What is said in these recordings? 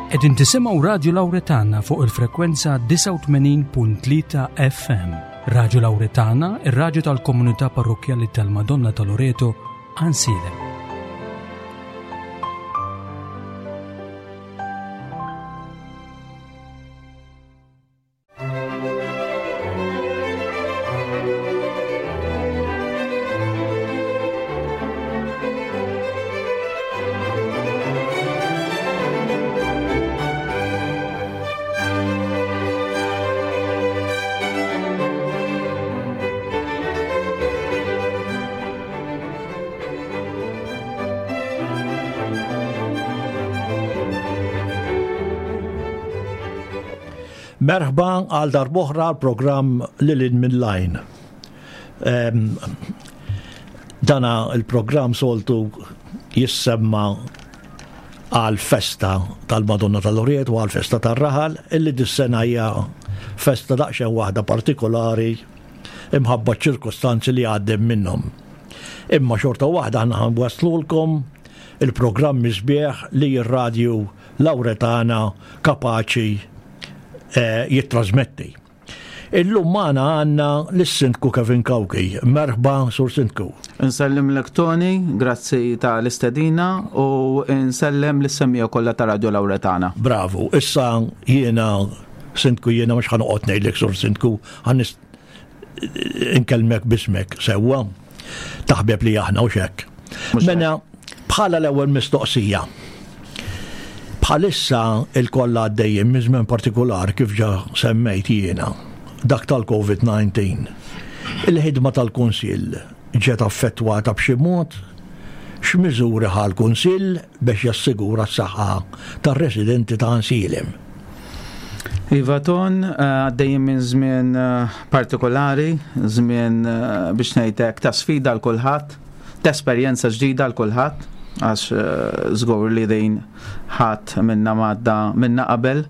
Qegħdin tisimgħu Radju Lawretana fuq il-frekwenza 89.3 FM. Radju Lawretana, ir-radju tal-komunità parrokkjali tal-Madonna ta' Loreto, Għansielem. Merħba għal darboħra l-programm Lilin minn Lajn. Ehm, dana il-programm soltu jissemma għal festa tal-Madonna tal-Oriet u għal festa tal-Raħal illi dis-sena hija festa daqsxejn waħda partikolari imħabba ċ-ċirkustanzi li għaddem minnhom. Imma xorta waħda aħna waslulkom il-programmi sbieħ li r-radju Lawretana kapaċi eh, jittrasmetti. Illum magħna għandna lis-Sindku Kevin Cauchi. Merħba, Sur Sindku. Nsellimlek Tony, grazzi ta' l-istedina u nsellem lis-semmija kollha ta' Radio Lawretana. Bravu, issa jiena Sindku jiena mhux ħanoqgħod ngħidlek Sur Sindku, inkellmek bismek sewwa taħbeb li aħna u xekk. Mela bħala l-ewwel mistoqsija. Bħalissa il-kollha għaddejjin minn żmien partikolari kif ġa semmejt jiena, dak tal-COVID-19. Il-ħidma tal-Kunsill ġiet affettwata b'xi mod? X'miżuri ħa l-Kunsill biex jassigura s-saħħa tar-residenti ta' Għansielem? Iva Ton, eh, għaddejjin minn żmien eh, partikolari, żmien eh, biex ngħidlek ta' sfida l kulħadd, ta' esperjenza ġdida l kulħadd, għax żgur li din ħadd minna madda minna qabel.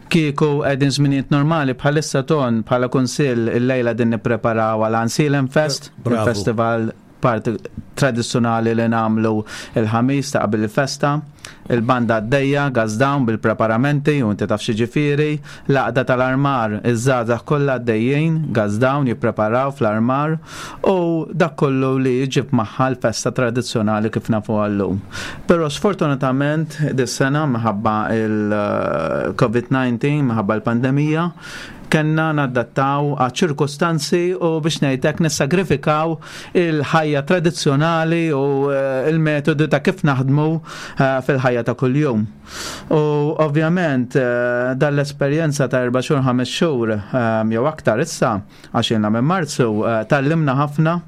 Kieku qegħdin żminijiet normali bħalissa Ton bħala kunsill illejla din nippreparaw għal Għansielem Fest, il-festival parti tradizzjonali li nagħmlu il-ħamis ta' qabel il-festa, il-banda għaddejja, gas down bil-preparamenti u inti taf x'jiġifieri, l-għaqda tal-armar, iż-żgħażagħ kollha għaddejjin, gas down jippreparaw fl-armar u dak kollu li jġib magħha l-festa tradizzjonali kif nafuha llum. Però sfortunatament dis-sena minħabba il-COVID-19, minħabba l-pandemija, Kellna nadattaw għaċ-ċirkustanzi u biex ngħid hekk nissagrifikaw il-ħajja tradizzjonali u eh, il-metodi ta' kif naħdmu eh, fil-ħajja ta' kuljum. U ovvjament eh, dan l-esperjenza ta' erba' xhur ħames xhur jew aktar issa għax ilna minn Marzu tallimna ħafna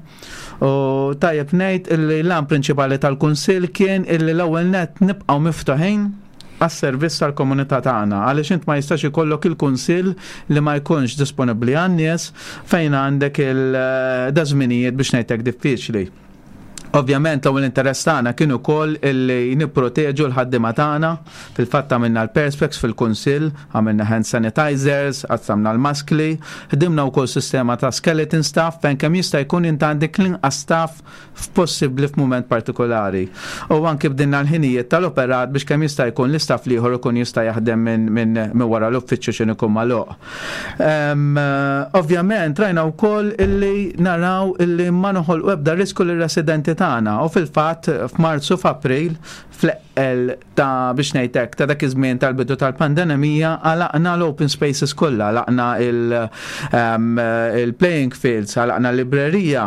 U tajjeb ngħid illi l-għan prinċipali tal-Kunsill kien illi l-ewwel nett nibqgħu miftuħin għas-servizz tal-komunità tagħna għaliex int ma jistax ikollok il-kunsill li ma jkunx disponibbli għan-nies fejn għandek il-dażminijiet biex ngħidlek diffiċli. Ovvjament l-ewwel interess tagħna kien ukoll illi nipproteġu l-ħaddiema tagħna. Fil-fatt għamilna l-perspex fil-kunsill, għamilna hand sanitizers, qassamna l-maskli, ħdimna wkoll sistema ta' skeleton staff fejn kemm jista' jkun int għandek l-inqas staff f'possibbli f'mument partikolari. U anki bdilna l-ħinijiet tal-operat biex kemm jista' jkun l-istaff l-ieħor ikun jista' jaħdem minn minn wara l-uffiċċju x'inhu jkun magħluq. Ovvjament rajna wkoll illi naraw illi ma noħolqu ebda risku lir-residenti tagħna u fil-fatt f'Marzu f'April fl-eqqel ta' biex ngħid hekk ta' dak iż-żmien tal-bidu tal-pandemija għalaqna l-open spaces kollha, għalaqna il-playing fields, għalaqna l-librerija.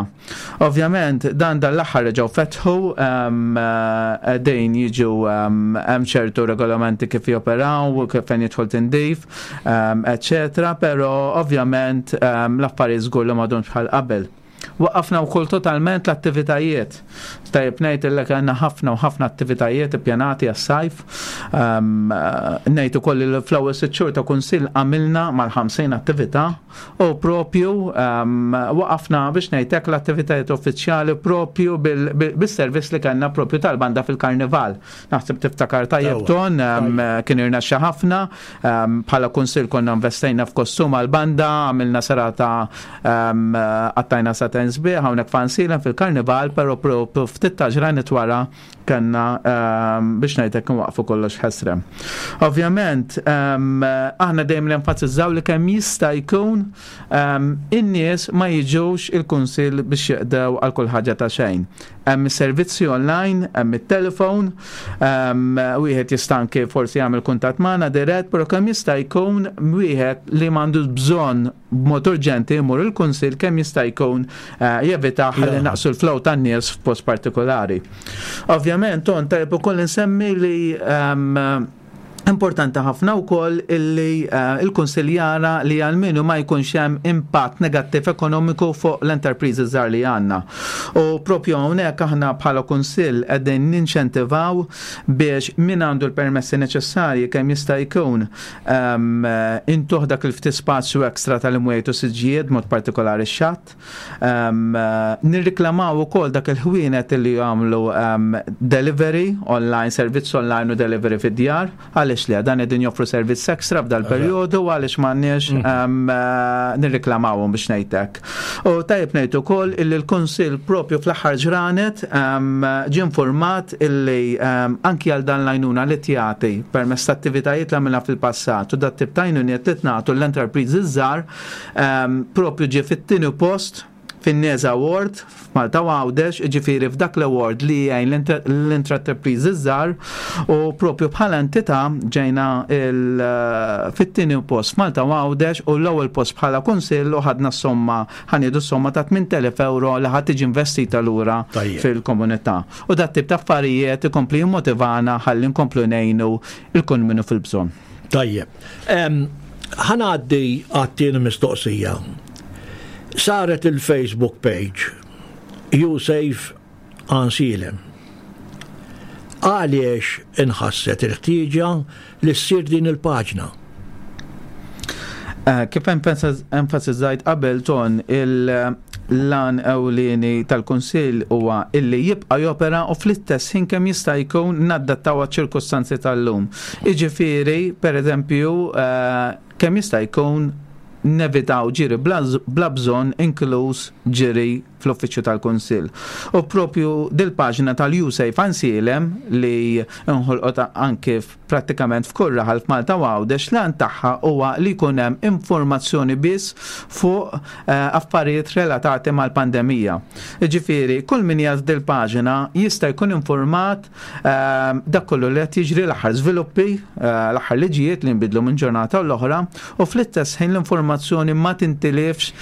Ovvjament dan dan l-aħħar reġgħu fetħu qegħdin jiġu hemm ċertu regolamenti kif joperaw, kif fejn jidħol tindif, eċċetera, però ovvjament l-affarijiet żgur li m'għadhomx bħal qabel. Waqqafna wkoll totalment l-attivitajiet. Tajjeb ngħid illek għandna ħafna u ħafna attivitajiet ippjanati għas-sajf. Ehm, ngħid ukoll li fl-ewwel sitt xhur ta' kunsill għamilna mal-50 attività u propju ehm, waqafna biex ngħidlek l-attivitajiet uffiċjali propju bis-servizz li kellna propju tal-banda fil-karnival. Naħseb tiftakar tajjeb ton, ehm, kien irnexxa ħafna, bħala kunsill konna investejna f'kostum għal-banda, għamilna serata Għattajna ġratajn sbieħ hawnhekk f'Għajnsielem fil-Karnival, però propju ftit ta' ġranet wara kellna biex ngħidlek nwaqfu kollox ħesrem. Ovvjament, aħna dejjem nenfasizzaw li kemm jista' jkun in-nies ma jiġux il-kunsill biex jeqdew għal kull ħaġa ta' xejn. Hemm is-servizzi online, hemm it-telefon, wieħed jista' anke forsi jagħmel kuntatt magħna dirett, però kemm jista' jkun wieħed li m'għandux bżonn b'mod urġenti jmur il-kunsill kemm jista' jkun jevita ħalli naqsu l-flow tan-nies f'post partikolari. Ovvjament, ton tajjeb ukoll insemmi li importanti ħafna wkoll illi il-Kunsill jara li għalmenu ma jkunx hemm impatt negattiv ekonomiku fuq l-enterpriżi żgħar li għandna. U propju hawnhekk aħna bħala Kunsill qegħdin ninċentivaw biex min għandu l-permessi neċessarji kemm jista' jkun intuh dak il-ftit spazju ekstra tal-imwiet u siġġijiet mod partikolari x-xatt. Nirriklamaw ukoll dak il-ħwienet li jagħmlu delivery online, servizz online u delivery fid-djar. Għaliex li dan qegħdin joffru servizz ekstra f'dal perjodu għaliex m'għandniex nirriklamawhom biex ngħidlek. U tajjeb ngħid ukoll illi l-Kunsill propju fl-aħħar ġranet ġie informat illi anki għal dan l-għajnuna li tjagħti permezz ta' attivitajiet li għamilna fil-passat u dat tip ta' għajnuniet li tnagħtu l-enterpriżi żgħar propju ġie fit-tieni post fin-NESA Award f'Malta u Għawdex, jiġifieri f'dak l-award li jgħin l-intraterpriżi żgħar u propju bħala entità ġejna fit-tieni post f'Malta u Għawdex u l-ewwel post bħala kunsill u ħadna s-somma, ħa nieħdu s-somma ta' 8,000 euro li ħa tiġi investita lura fil-komunità. U dat tip ta' affarijiet ikompli jimmotivana ħalli nkomplu ngħinu il-kun minnu fil-bżonn. Tajjeb. Ħa ngħaddi għat-tieni mistoqsija. Saret il-Facebook page YouSafe Għajnsielem. Għaliex inħasset il-ħtieġa li ssir din il-paġna? Kif enfasizzajt qabel ton il-lan ewlieni tal-Kunsill huwa illi jibqa' jopera u fl-istess ħin kemm jista' jkun nadattaw għaċ-ċirkustanzi tal-lum. Jiġifieri, pereżempju, kemm jista' jkun nevitaw ġiri bla bżonn inkluż ġiri fl-uffiċċju tal-Kunsill. U propju dil-paġna tal-YouSafe Għajnsielem li nħolqot anke prattikament f'kull raħal f'Malta u Għawdex l-għan tagħha huwa li jkun hemm informazzjoni biss fuq affarijiet relatati mal-pandemija. Jiġifieri, kull min jgħas dil-paġna jista' jkun informat dak kollu li qed jiġri l-aħħar żviluppi, l-aħħar liġijiet li nbidlu minn ġurnata u l-oħra u fl-istess ħin l-informazzjoni ma tintilifx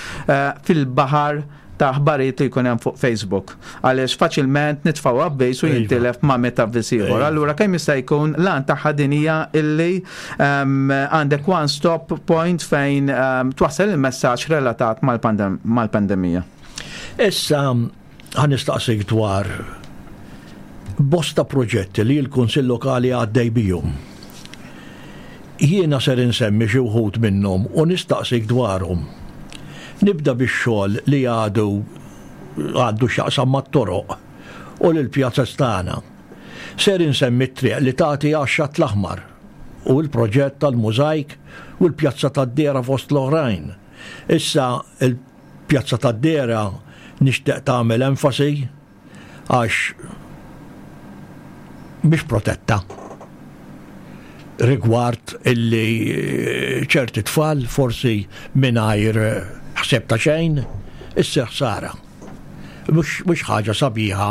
fil-baħar ta' aħbarijiet li jkun hemm fuq Facebook. Għaliex faċilment nitfgħu avviż u jintilef ma' meta avviż ieħor. Allura kemm jista' jkun l-għan tagħha din hija illi għandek one stop point fejn twassal il-messaġġ relatat mal-pandemija. Issa ħa nistaqsik dwar bosta proġetti li l-Kunsill Lokali għaddej bihom. Jiena ser insemmi xi wħud minnhom u nistaqsik dwarhom. Nibda bix-xogħol li għadu għandu x'jaqsam mat-toroq u l-pjazez tagħna. Ser insemmi t-triq li tagħti għax-Xatt l-Aħmar u l-proġett tal-mużajk u l-pjazza tad-Dehra fost l-oħrajn. Issa il-pjazza tad-Dehra nixtieq tagħmel enfasi għax mhix protetta rigward illi ċerti tfal forsi mingħajr ħsieb ta' xejn issir ħsara. Mhux ħaġa sabiħa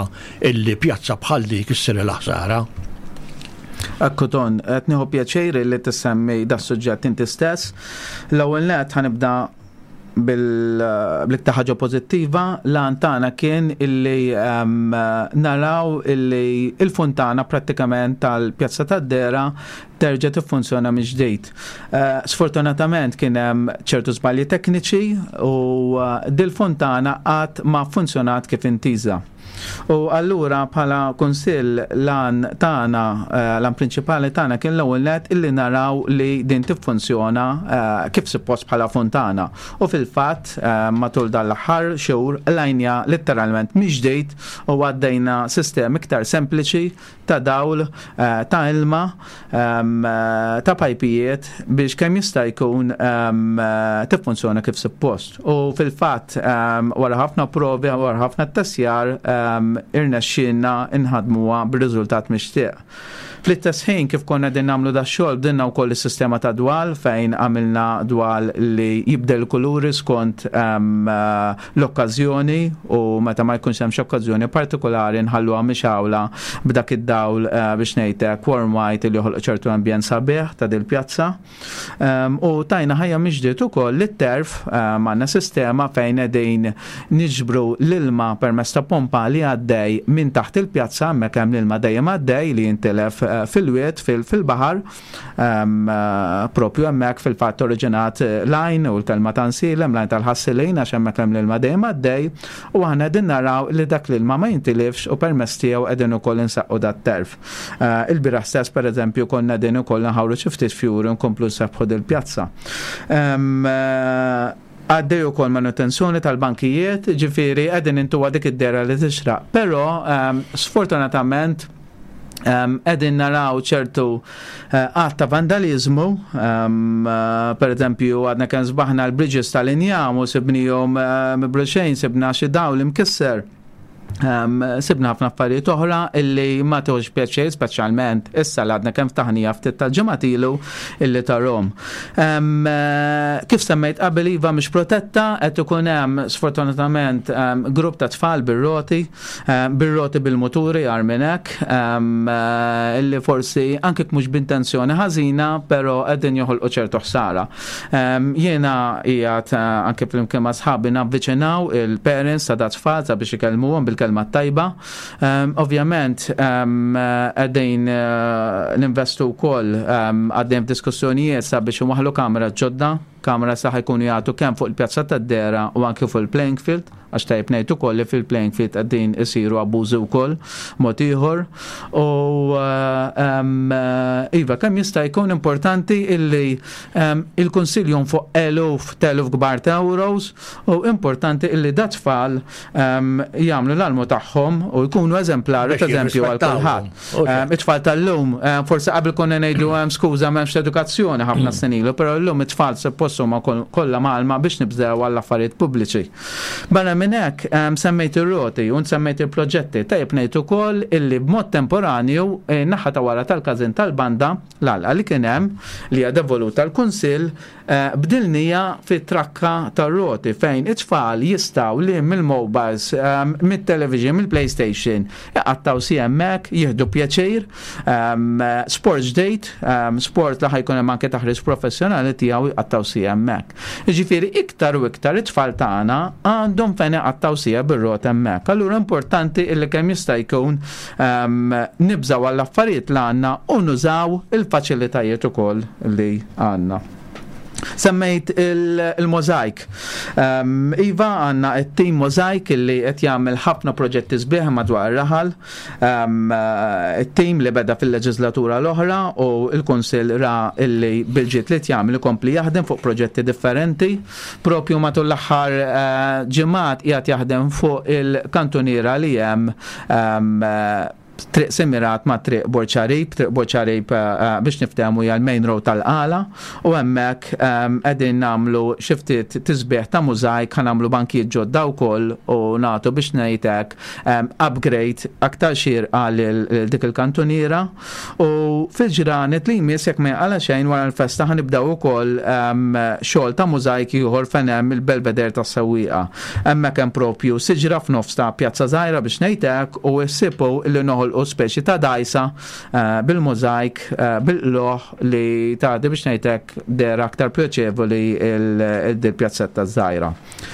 illi pjazza bħal dik issir il-ħsara. Ekku Ton, qed nieħu pjaċir li tissemmi da suġġett inti stess. L-ewwel nett ħa nibda bil-iktar ħaġa pożittiva, l-għan tagħna kien illi naraw illi il-funtana prattikament tal-Pjazza tad-Dehra terġa' tiffunzjona mill-ġdid. Sfortunatament kien hemm ċertu żbalji tekniċi u dil-funtana qatt ma funzjonat kif intiża. U allura bħala kunsill l-għan tagħna, eh, l-għan prinċipali tagħna kien l-ewwel net illi naraw li din tiffunzjona eh, kif suppost bħala fontana. U fil-fatt eh, matul dan l-aħħar xhur lajnja letteralment miġdejt u għaddejna sistemi iktar sempliċi ta' dawl, eh, ta' ilma, ehm, eh, ta' pajpijiet biex kemm jista' jkun ehm, eh, tiffunzjona kif suppost. U fil-fatt ehm, wara ħafna provi, wara ħafna tessjar, irnexxielna nħadmuha bir-riżultat mixtieq. Fl-istess ħin kif konna din nagħmlu da xogħol bdilna wkoll is-sistema ta' dwal fejn għamilna dwal li jibdel kuluri skont l-okkażjoni u meta ma jkunx hemm xi okkażjoni partikolari nħalluha mixgħula b'dak id-dawl eh, biex ngħidlek warm white li joħloq ċertu ambjent sabiħ ta' dil-pjazza. Ehm, u tajna ħajja miġdiet ukoll li t-terf ehm, għandna sistema fejn qegħdin niġbru l-ilma permezz ta' pompa li għaddej minn taħt il-pjazza hemmhekk hemm l-ilma dejjem għaddej li jintilef eh, fil-wied fil-baħar Eh, propju hemmhekk fil-fatt oriġinat eh, lajn u l-kelma ta' nsilem, lajn tal-ħassilin għax hemmhekk hemm l-ilma dejjem għaddej u aħna qegħdin naraw li dak l-ilma ma jintilifx u permezz tiegħu qegħdin ukoll insaqqu dat-terf. Eh, il-bieraħ stess pereżempju konna qegħdin ukoll nħawru xi ftit fjuri nkomplu nsebbħu dil-pjazza. Għaddej ukoll manutenzjoni tal-bankijiet, ġifieri qegħdin intuha dik id-dehra li tixraq. Però sfortunatament qegħdin naraw ċertu eh, għadd ta' vandalizmu, eh, per eżempju għadna kemm sbaħna l-bridges tal-injam u sibnihom eh, mibruxejn, sibna xi dawl imkisser. Sibna ħafna affarijiet oħra illi ma tieħux pjaċir, speċjalment issa li għadna kemm ftaħnija ftit tal-ġimgħat ilu illi tarhom. Kif semmejt qabel iva mhix protetta, qed ikun hemm sfortunatament grupp ta' tfal bir-roti, bir-roti bil-muturi agħar minn hekk, illi forsi anke mhux b'intenzjoni ħażina, però qegħdin joħolqu ċertu ħsara. Jiena qiegħed eh, anke flimkien ma' sħabi navviċinaw il-parents ta' dat-tfal sabiex ikellmuhom bil-kelma tajba. Ovvjament qegħdin eh, ninvestu wkoll għaddejn f'diskussjonijiet sabiex inwaħħlu kamera ġodda, kamera sa ħajkunu jagħtu kemm fuq il-pjazza tad-dera u anke fuq il-playing field għax tajjeb ngħid ukoll li fil-playing field qegħdin isiru abbużi wkoll mod ieħor. U eh, iva, kemm jista' jkun importanti illi Il-Kunsill jonfoq eluf t'eluf kbar ta' euros u importanti illi dat-tfal jagħmlu l-almu tagħhom u jkunu eżemplari ta' eżempju għal kulħadd. It-tfal tal-lum, forsi qabel konna ngħidu hemm skuża m'hemmx edukazzjoni ħafna mm. snin ilu, però llum it-tfal suppost huma kollha mgħallma biex nibżgħu għall affarijiet pubbliċi. Barra minn hekk semmejt ir-roti u semmejt il-proġetti, tajjeb ngħid ukoll illi b'mod temporanju eh, naħa ta' wara tal-każin tal-banda L-għalqa li kien hemm, li hija devoluta l-Kunsill, bdilniha fi trakka tar-roti fejn it-tfal jistgħu li mill-mobiles, mit-television, mill-playstation, iqattgħu siegħa hemmhekk, jieħdu pjaċir. Sport ġdid, sport li ħa jkun hemm anke taħriġ professjonali tiegħu jqattgħu siegħa hemmhekk. Jiġifieri iktar u iktar it-tfal tagħna għandhom fejn iqattgħu siegħa bir-rota hemmhekk. Allura importanti illi kemm jista' jkun nibżgħu għall-affarijiet li għandna u nużaw il-faċilitajiet ukoll li għandna. Semmejt il-mozaik. Iva għandna it-tim mozaik li qed jagħmel ħafna proġetti sbieħ madwar ir-raħal. It-tim li beda fil-leġislatura l-oħra u l-Kunsill ra illi bil-ġid li jagħmel ikompli jaħdem fuq proġetti differenti. Propju matul l-aħħar eh, ġimgħat qiegħed jaħdem fuq il-kantuniera li hemm Triq Semirat ma' Triq Borċarib, Triq Borċarib eh, eh, biex niftehmu hija l-main road tal-Qala u hemmhekk qegħdin nagħmlu xi ftit tisbieħ ta' mużajk ħa nagħmlu bankijiet ġodda wkoll u nagħtu biex ngħid hekk upgrade aktar xierqa lil dik il-kantuniera u fil-ġranet li jmiss jekk ma jaqala xejn wara l-festa ħa nibdew ukoll xogħol ta' mużajk ieħor fejn hemm il-belveder tas-sewwieqa. Hemmhekk hemm propju siġra f'nofs ta' pjazza żgħira biex ngħid hekk u ssibu li noħolqu. noħolqu speċi ta' dajsa eh, bil-mużajk, eh, bil-qloħ li tagħti biex ngħidlek der aktar pjaċevoli il-pjazzetta żgħira.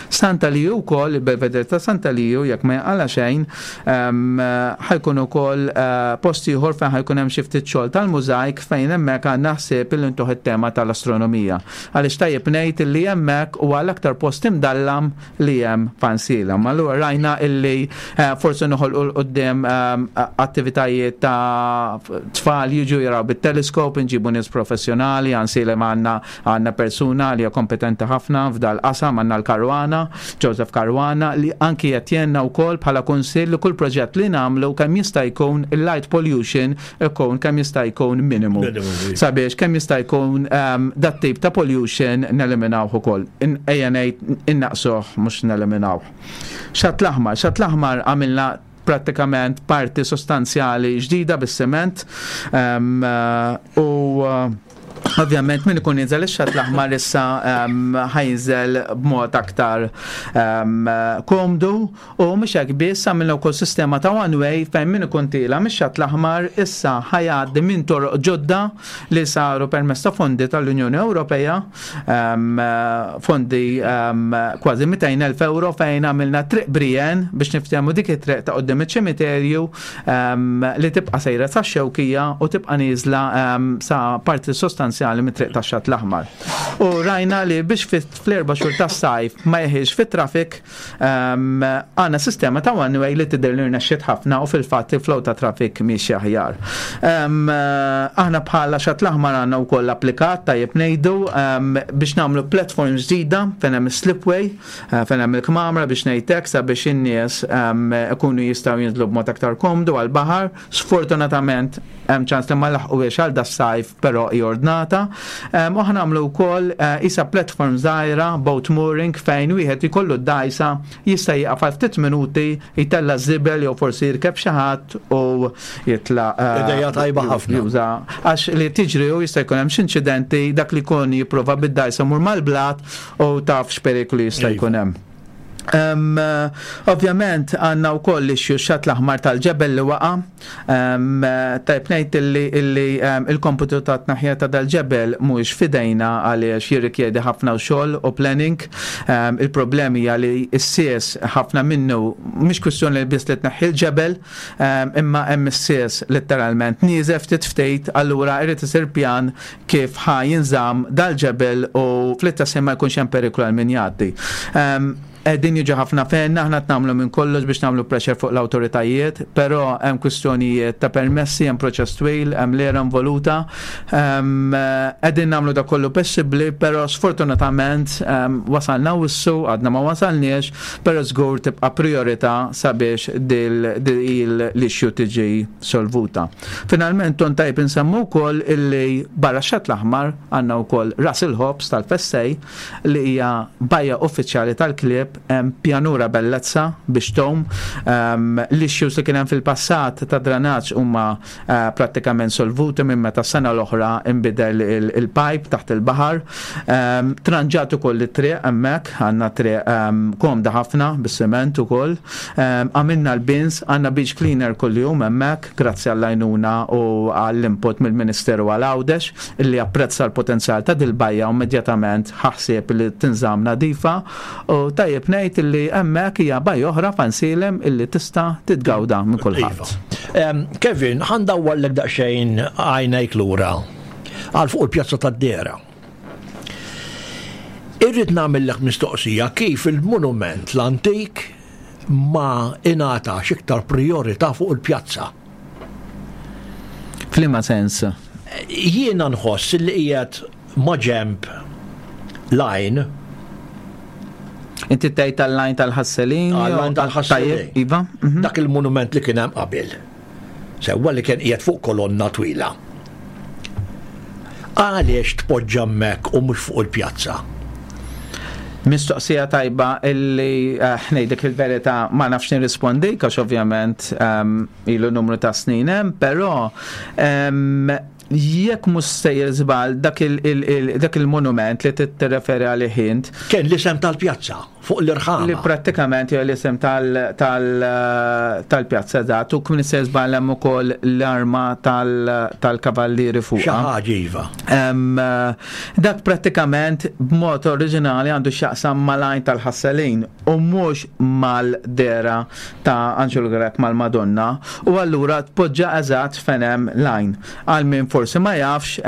Santa Liju wkoll, il-Belvedere ta' Santa Liju, jekk ma jaqala xejn, ehm, ħajkun ukoll eh, post ieħor fejn ħajkun hemm xi ftit xogħol tal-mużajk fejn hemmhekk għandna ħsieb il intuħ it-tema tal-astronomija. Għaliex tajjeb ngħid li hemmhekk huwa l-aktar post imdallam li hemm fansiela. Ma allura rajna illi eh, forsi noħolqu l qudiem ehm, attivitajiet ta' tfal jiġu jaraw bit-teleskop, inġibu nies professjonali, għansilem għandna għandna persuna li hija kompetenti ħafna f'dal qasam għandna l-Karwana, Joseph Karwana, li anki qed jgħinna wkoll bħala kunsill li kull proġett li nagħmlu kemm jista' jkun il-light pollution ikun kemm jista' jkun minimu. Sabiex kemm jista' jkun ehm, dat tip ta' pollution neliminawh ukoll. Ejja ngħid innaqsuh mhux neliminawh. Xatt l-aħmar, xatt l-aħmar għamilna prattikament parti sostanzjali ġdida bis-siment ehm, u Ovvjament min ikun jinżel ix-xatt l-aħmar issa ehm, ħajinżel b'mod aktar ehm, komdu u mhux hekk biss għamilna wkoll sistema ta' one way fejn min ikun tiela mix-xatt l-aħmar issa ħajgħaddi minn toroq ġodda li saru permezz ta' fondi tal-Unjoni Ewropea ehm, fondi kważi 200,000 euro fejn għamilna triq Brijen biex niftehmu dik it-triq ta' qudiem iċ-ċimiterju li tibqa' sejra sa xewkija u tibqa' nieżla sa parti sostanzjali mit-triq tax-Xatt l-Aħmar. U rajna li biex fl-erba' xhur tas-sajf ma jeħilx fit-traffic għandna sistema ta' one way li tidher li rnexxiet ħafna u fil-fatt il-flow ta' traffic miexi aħjar. Aħna bħala Xatt l-Aħmar għandna wkoll applikat tajjeb ngħidu biex nagħmlu platform ġdida fejn hemm slipway Eh, fejn hemm il-kmamra biex ngħidlek sabiex in-nies ehm, ikunu jistgħu jinżlu b'mod aktar komdu għall-baħar. Sfortunatament hemm ċans li ma laħquhiex għal das-sajf però hi ordnata. Ehm, u aħna nagħmlu wkoll eh, isa platform żgħira boat mooring fejn wieħed ikollu d-dajsa jista' jieqaf għal ftit minuti jtella' żibel jew forsi jirkeb xi ħadd u jitla' eh, Ideja tajba ħafna. Juża għax li tiġri u jista' jkun hemm xi inċidenti dak li jkun jipprova bid-dajsa mur mal-blat u taf x'periklu jista' jkun hemm. Um, ovvjament għanna u koll issue xat l-aħmar tal-ġebel li waqa. Um, tajb ngħid illi, illi um, il-komputu ta' tnaħja ta' dal-ġebel mhuwiex fidejna għaliex jirrikjedi ħafna xogħol u planning. Um, il-problemi hija li s-sies ħafna minnu mhix kwistjoni li biss li tneħħi l-ġebel, um, imma hemm is-sies letteralment nieżef ftit ftit, allura irid isir pjan kif ħa jinżamm dal-ġebel u fl-istess ħin ma jkunx hemm periklu għal min jgħaddi. Ehm, qegħdin jiġu ħafna fejn aħna qed nagħmlu minn kollox biex nagħmlu pressure fuq l-awtoritajiet, però hemm kwistjonijiet ta' permessi, hemm proċess twil, hemm l-era involuta. Ehm, qegħdin nagħmlu da kollu possibbli, però sfortunatament ehm, wasalna wissu, għadna ma wasalniex, però żgur tibqa' priorità sabiex dil-issue tiġi solvuta. Finalment ton tajb insemmu wkoll illi barra x-Xatt l-Aħmar għandna wkoll Ras il-Ħobż tal-Fessej li hija bajja uffiċjali tal-klieb hemm pjanura bellezza biex tgħum. Ehm, l-issues li kien hemm fil-passat ta' dranaġġ huma eh, prattikament solvuti minn meta s-sena l-oħra inbidel il-pipe taħt il-baħar. Ehm, tranġat ukoll it-triq hemmhekk, għandna triq ehm, komda ħafna bis-siment ukoll. Għamilna l-bins, għandna beach cleaner kuljum hemmhekk, grazzi għall-għajnuna u għall-input mill-Ministeru għal Għawdex illi apprezza l-potenzjal ta' dil-bajja u immedjatament ħa ħsieb li tinżamm nadifa u tajjeb ngħid illi hemmhekk hija bajja oħra f'Għajnsielem illi tista' titgawda minn kulħadd. Iva. Kevin, ħa ndawwarlek daqsxejn għajnejk lura għal fuq il-Pjazza tad-Dehra. Irrid nagħmillek mistoqsija kif il-monument l-antik ma ingħatax iktar priorità fuq il-pjazza. F'liema sens? Jiena nħoss li qiegħed ma' ġemb l-għajn. Inti tgħid tal-lajn tal-ħasselin? Għal-lajn tal-ħasselin. Iva. Mhm. Dak il-monument li kien hemm qabel. Sewwa li kien qiegħed fuq kolonna twila. Għaliex tpoġġa hemmhekk u mhux fuq il-pjazza? Mistoqsija tajba illi eh, ngħidlek il-verità ma nafx nirrispondi għax ovvjament ehm, ilu numru ta' snin hemm, però ehm, jekk mhux sejjer żball dak il-monument li tirreferi għalih int. Kien l-isem tal-pjazza. Fuq l-irħama. Li prattikament hija l-isem tal-pjazza eżatt u kmin se żball hemm ukoll l-arma tal-kavallieri fuqha. Xi ħaġa iva. Dak prattikament b'mod oriġinali għandu x'jaqsam mal-għajn tal-ħasselin u mhux mal-dehra ta' Anġelu Grech mal-Madonna u allura tpoġġa eżatt fejn hemm l-għajn. Għal min forsi ma jafx,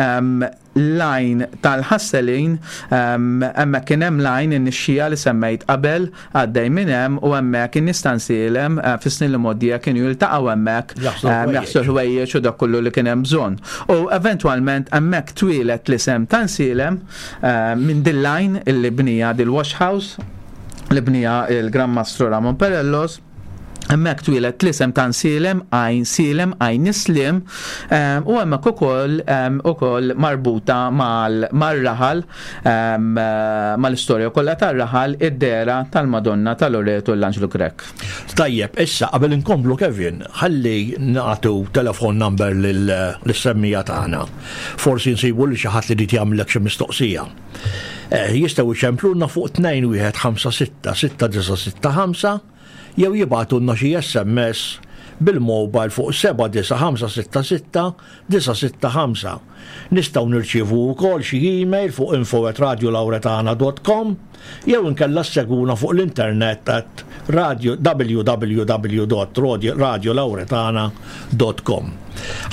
l-għajn tal-ħasselin, hemmhekk kien hemm l-għajn in-nixxija li semmejt qabel, għaddej minn hemm u hemmhekk in-nies ta' Nsielem fis-snin li mgħoddija kienu jiltaqgħu hemmhekk jaħslu l-ħwejjeġ u dak kollu li kien hemm bżonn. U eventwalment hemmhekk twieled l-isem ta' Nsielem minn din l-għajn illi bnija dil-wash house li bnija l-Gran Mastru Ramon Perellos. Hemmhekk twieled l-isem ta' Nsielem, Għajn Sielem, Għajn Isliem, u hemmhekk ukoll ukoll marbuta mar-raħal, mal-istorja kollha tar-raħal, id-dehra tal-Madonna ta' Loreto l-Anġlu Grech. Tajjeb, issa qabel inkomplu Kevin, ħalli nagħtu telephone number lis-semmiegħa tagħna. Forsi nsibu lil xi ħadd li jrid jagħmlek xi mistoqsija. Jistgħu jċemplulna fuq 2156 6965 jew jibagħtulna xi SMS bil-mobile fuq 79566 965. Nistgħu nirċievu wkoll xi email fuq info@radiolauretana.com jew inkella ssegwuna fuq l-internet at radio www.radiolauretana.com.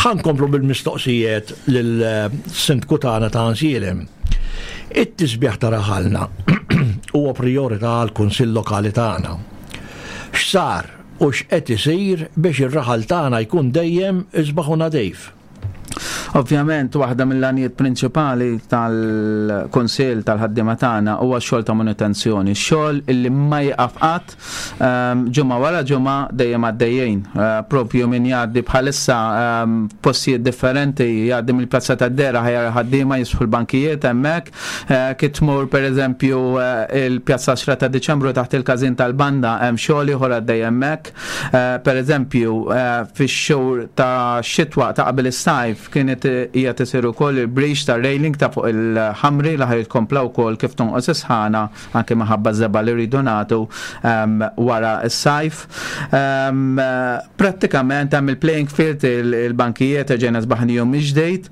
Ħa nkomplu bil-mistoqsijiet lill-Sindku tagħna ta' Ansielem. It-tisbiħ ta' raħalna huwa prijorità għall-Kunsill Lokali tagħna. X'sar u x'qed isir biex ir-raħal tagħna jkun dejjem isbaħ u nadif? Ovvjament, waħda mill-għanijiet prinċipali tal-Kunsill tal-ħaddiema tagħna huwa x-xogħol ta' manutenzjoni, xogħol illi ma jieqaf qatt, ġimgħa wara ġimgħa dejjem għaddejjin. Propju min jgħaddi bħalissa f'postijiet differenti, jgħaddi mill-Pjazza tad-Dehra ħa jara ħaddiema jisħu l-bankijiet hemmhekk. Kif tmur pereżempju il-Pjazza 10 ta' Diċembru taħt il-każin tal-banda hemm xogħol ieħor għaddej hemmhekk. Pereżempju fix-xhur ta' xitwa ta' qabel is-sajf kienet qiegħed isir ukoll il-breach tar-railing ta' fuq il-ħamri li ħa jitkompla wkoll kif tonqos is-sħana anke minħabba ż-żebgħa li rridu nagħtu wara s-sajf. Prattikament hemm il-playing field, il-bankijiet erġajna sbaħnihom mill-ġdid.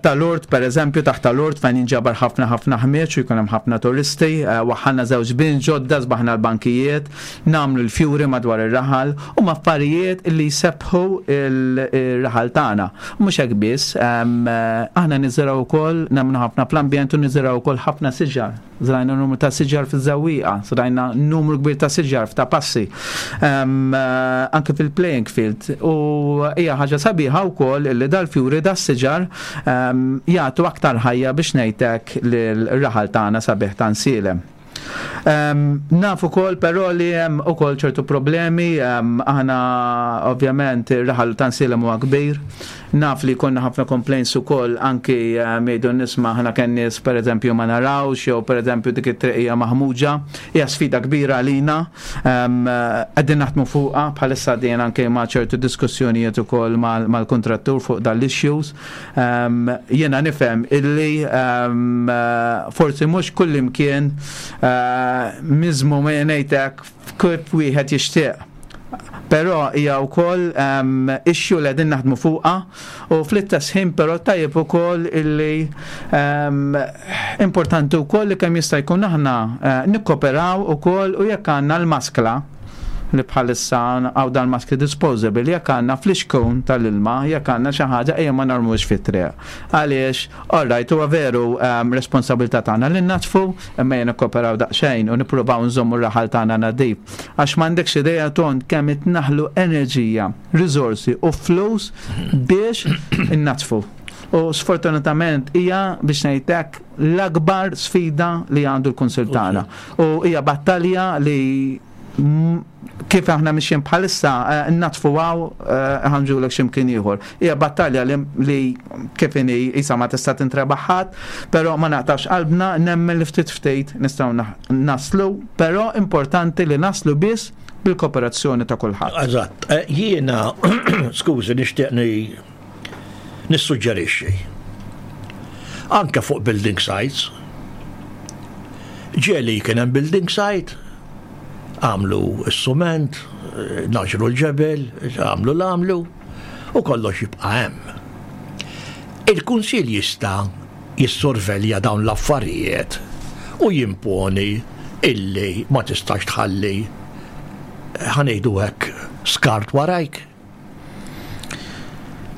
Tal-Urt, per eżempju, taħt tal-Urt fejn jinġabar ħafna ħafna ħmieġ u jkun hemm ħafna turisti, waħħalna żewġ bin ġodda, sbaħna l-bankijiet, nagħmlu l-fjuri madwar ir-raħal, huma affarijiet li jsebbħu il-raħal tagħna. U mhux hekk biss, aħna niżirgħu wkoll, nemmnu ħafna fl-ambjent u niżirgħu wkoll ħafna siġar. Żrajna numru ta' siġar fiż-Żewwieqa, żrajna numru kbir ta' siġar f'ta' passi, anke fil-playing field. U hija ħaġa sabiħa wkoll li dal-fjuri das-siġar jagħtu aktar ħajja biex ngħidlek lil-raħal tagħna sabiħ ta' Nsielem. Naf ukoll però li hemm ukoll ċertu problemi, aħna ovvjament ir-raħal ta' Nsielem huwa kbir, Naf li jkollna ħafna complaints ukoll anki jgħidu n-nies ma aħna kemm nies pereżempju ma narawx jew pereżempju dik it-triq hija maħmuġa. Hija sfida kbira għalina. Qegħdin naħdmu fuqha bħalissa għaddejjin anke ma' ċertu diskussjonijiet ukoll mal-kuntrattur fuq dan l-issues. Jiena nifhem illi forsi mhux kullimkien miżmum ngħid hekk kif wieħed jixtieq. Però hija wkoll issue li qegħdin naħdmu fuqha u fl-istess ħin però tajjeb ukoll illi importanti wkoll li kemm jista' jkun aħna eh, nikkoperaw ukoll u jekk għandna l-maskla li bħalissa għaw dan maskli disposable, jekk għandna flixkun tal-ilma, jekk għandna xi ħaġa ejja ma narmux fit-triq. Għaliex, all right, huwa veru responsabilità tagħna li natfu, imma jien nikkoperaw daqsxejn u nippruvaw nżommu r-raħal tagħna nadif. Għax m'għandekx idea Ton kemm itnaħlu enerġija, riżorsi u flus biex innatfu. U sfortunatament hija biex ngħidlek l-akbar sfida li għandu l-Kunsill tagħna. U hija battalja li kif aħna mixjin bħalissa eh, natfu għaw eh, ħanġulek ximkien ieħor. Hija battalja li kif inhi isa ma tista' tintrebaħ ħadd, però ma naqtax qalbna nemmen li ftit ftit nistgħu naslu, però importanti li naslu biss bil-kooperazzjoni ta' kulħadd. Eżatt, eh, jiena skużi nixtieq nissuġġerixxi. Anke fuq building sites. Ġieli kien hemm building site, għamlu s-sument, naġru l-ġebel, għamlu l-għamlu, u kollox jibqa' hemm. Il-Kunsill jista' jissorvelja dawn l-affarijiet u jimponi illi ma tistax tħalli ħa ngħidu hekk skart warajk.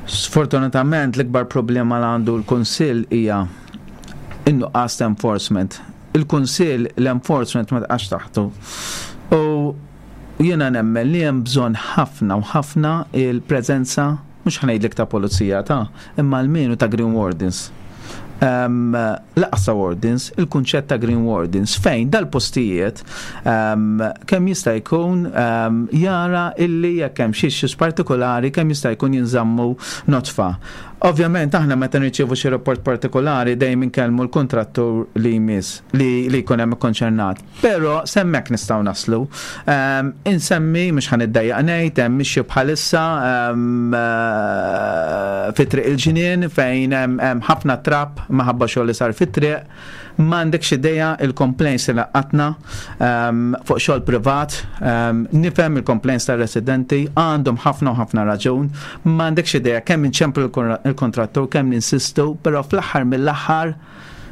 Sfortunatament l-ikbar problema li għandu l-Kunsill hija in-nuqqas ta' enforcement. Il-Kunsill l-enforcement ma taqax taħtu. U jiena nemmen li hemm bżonn ħafna u ħafna il-preżenza mhux ħa ngħidlek ta' pulizija ta' imma almenu ta' Green Wardens. Um, laqas ta' wardens, il-kunċett ta' Green Wardens, fejn dal-postijiet um, kemm jista' jkun um, jara illi jekk hemm xi issues partikolari kemm jista' jkun jinżammu nodfa. Ovvjament aħna meta nirċievu xi rapport partikolari dejjem inkellmu l-kontrattur li jmiss li, li jkun hemm ikkonċernat. Però s'hemmhekk nistgħu naslu. Ehm, insemmi mhux ħa niddejjaq ngħid hemm mixi bħalissa ehm, eh, fi triq il-ġnien fejn hemm ħafna trap maħabba xogħol li sar fit-triq. M'għandekx idea il-complaints li laqatna ehm, fuq xogħol privat, nifhem il-complaints tar-residenti, għandhom ħafna u ħafna raġun, m'għandekx idea kemm inċemplu l-kontrattur, kemm ninsistu, però fl-aħħar mill-aħħar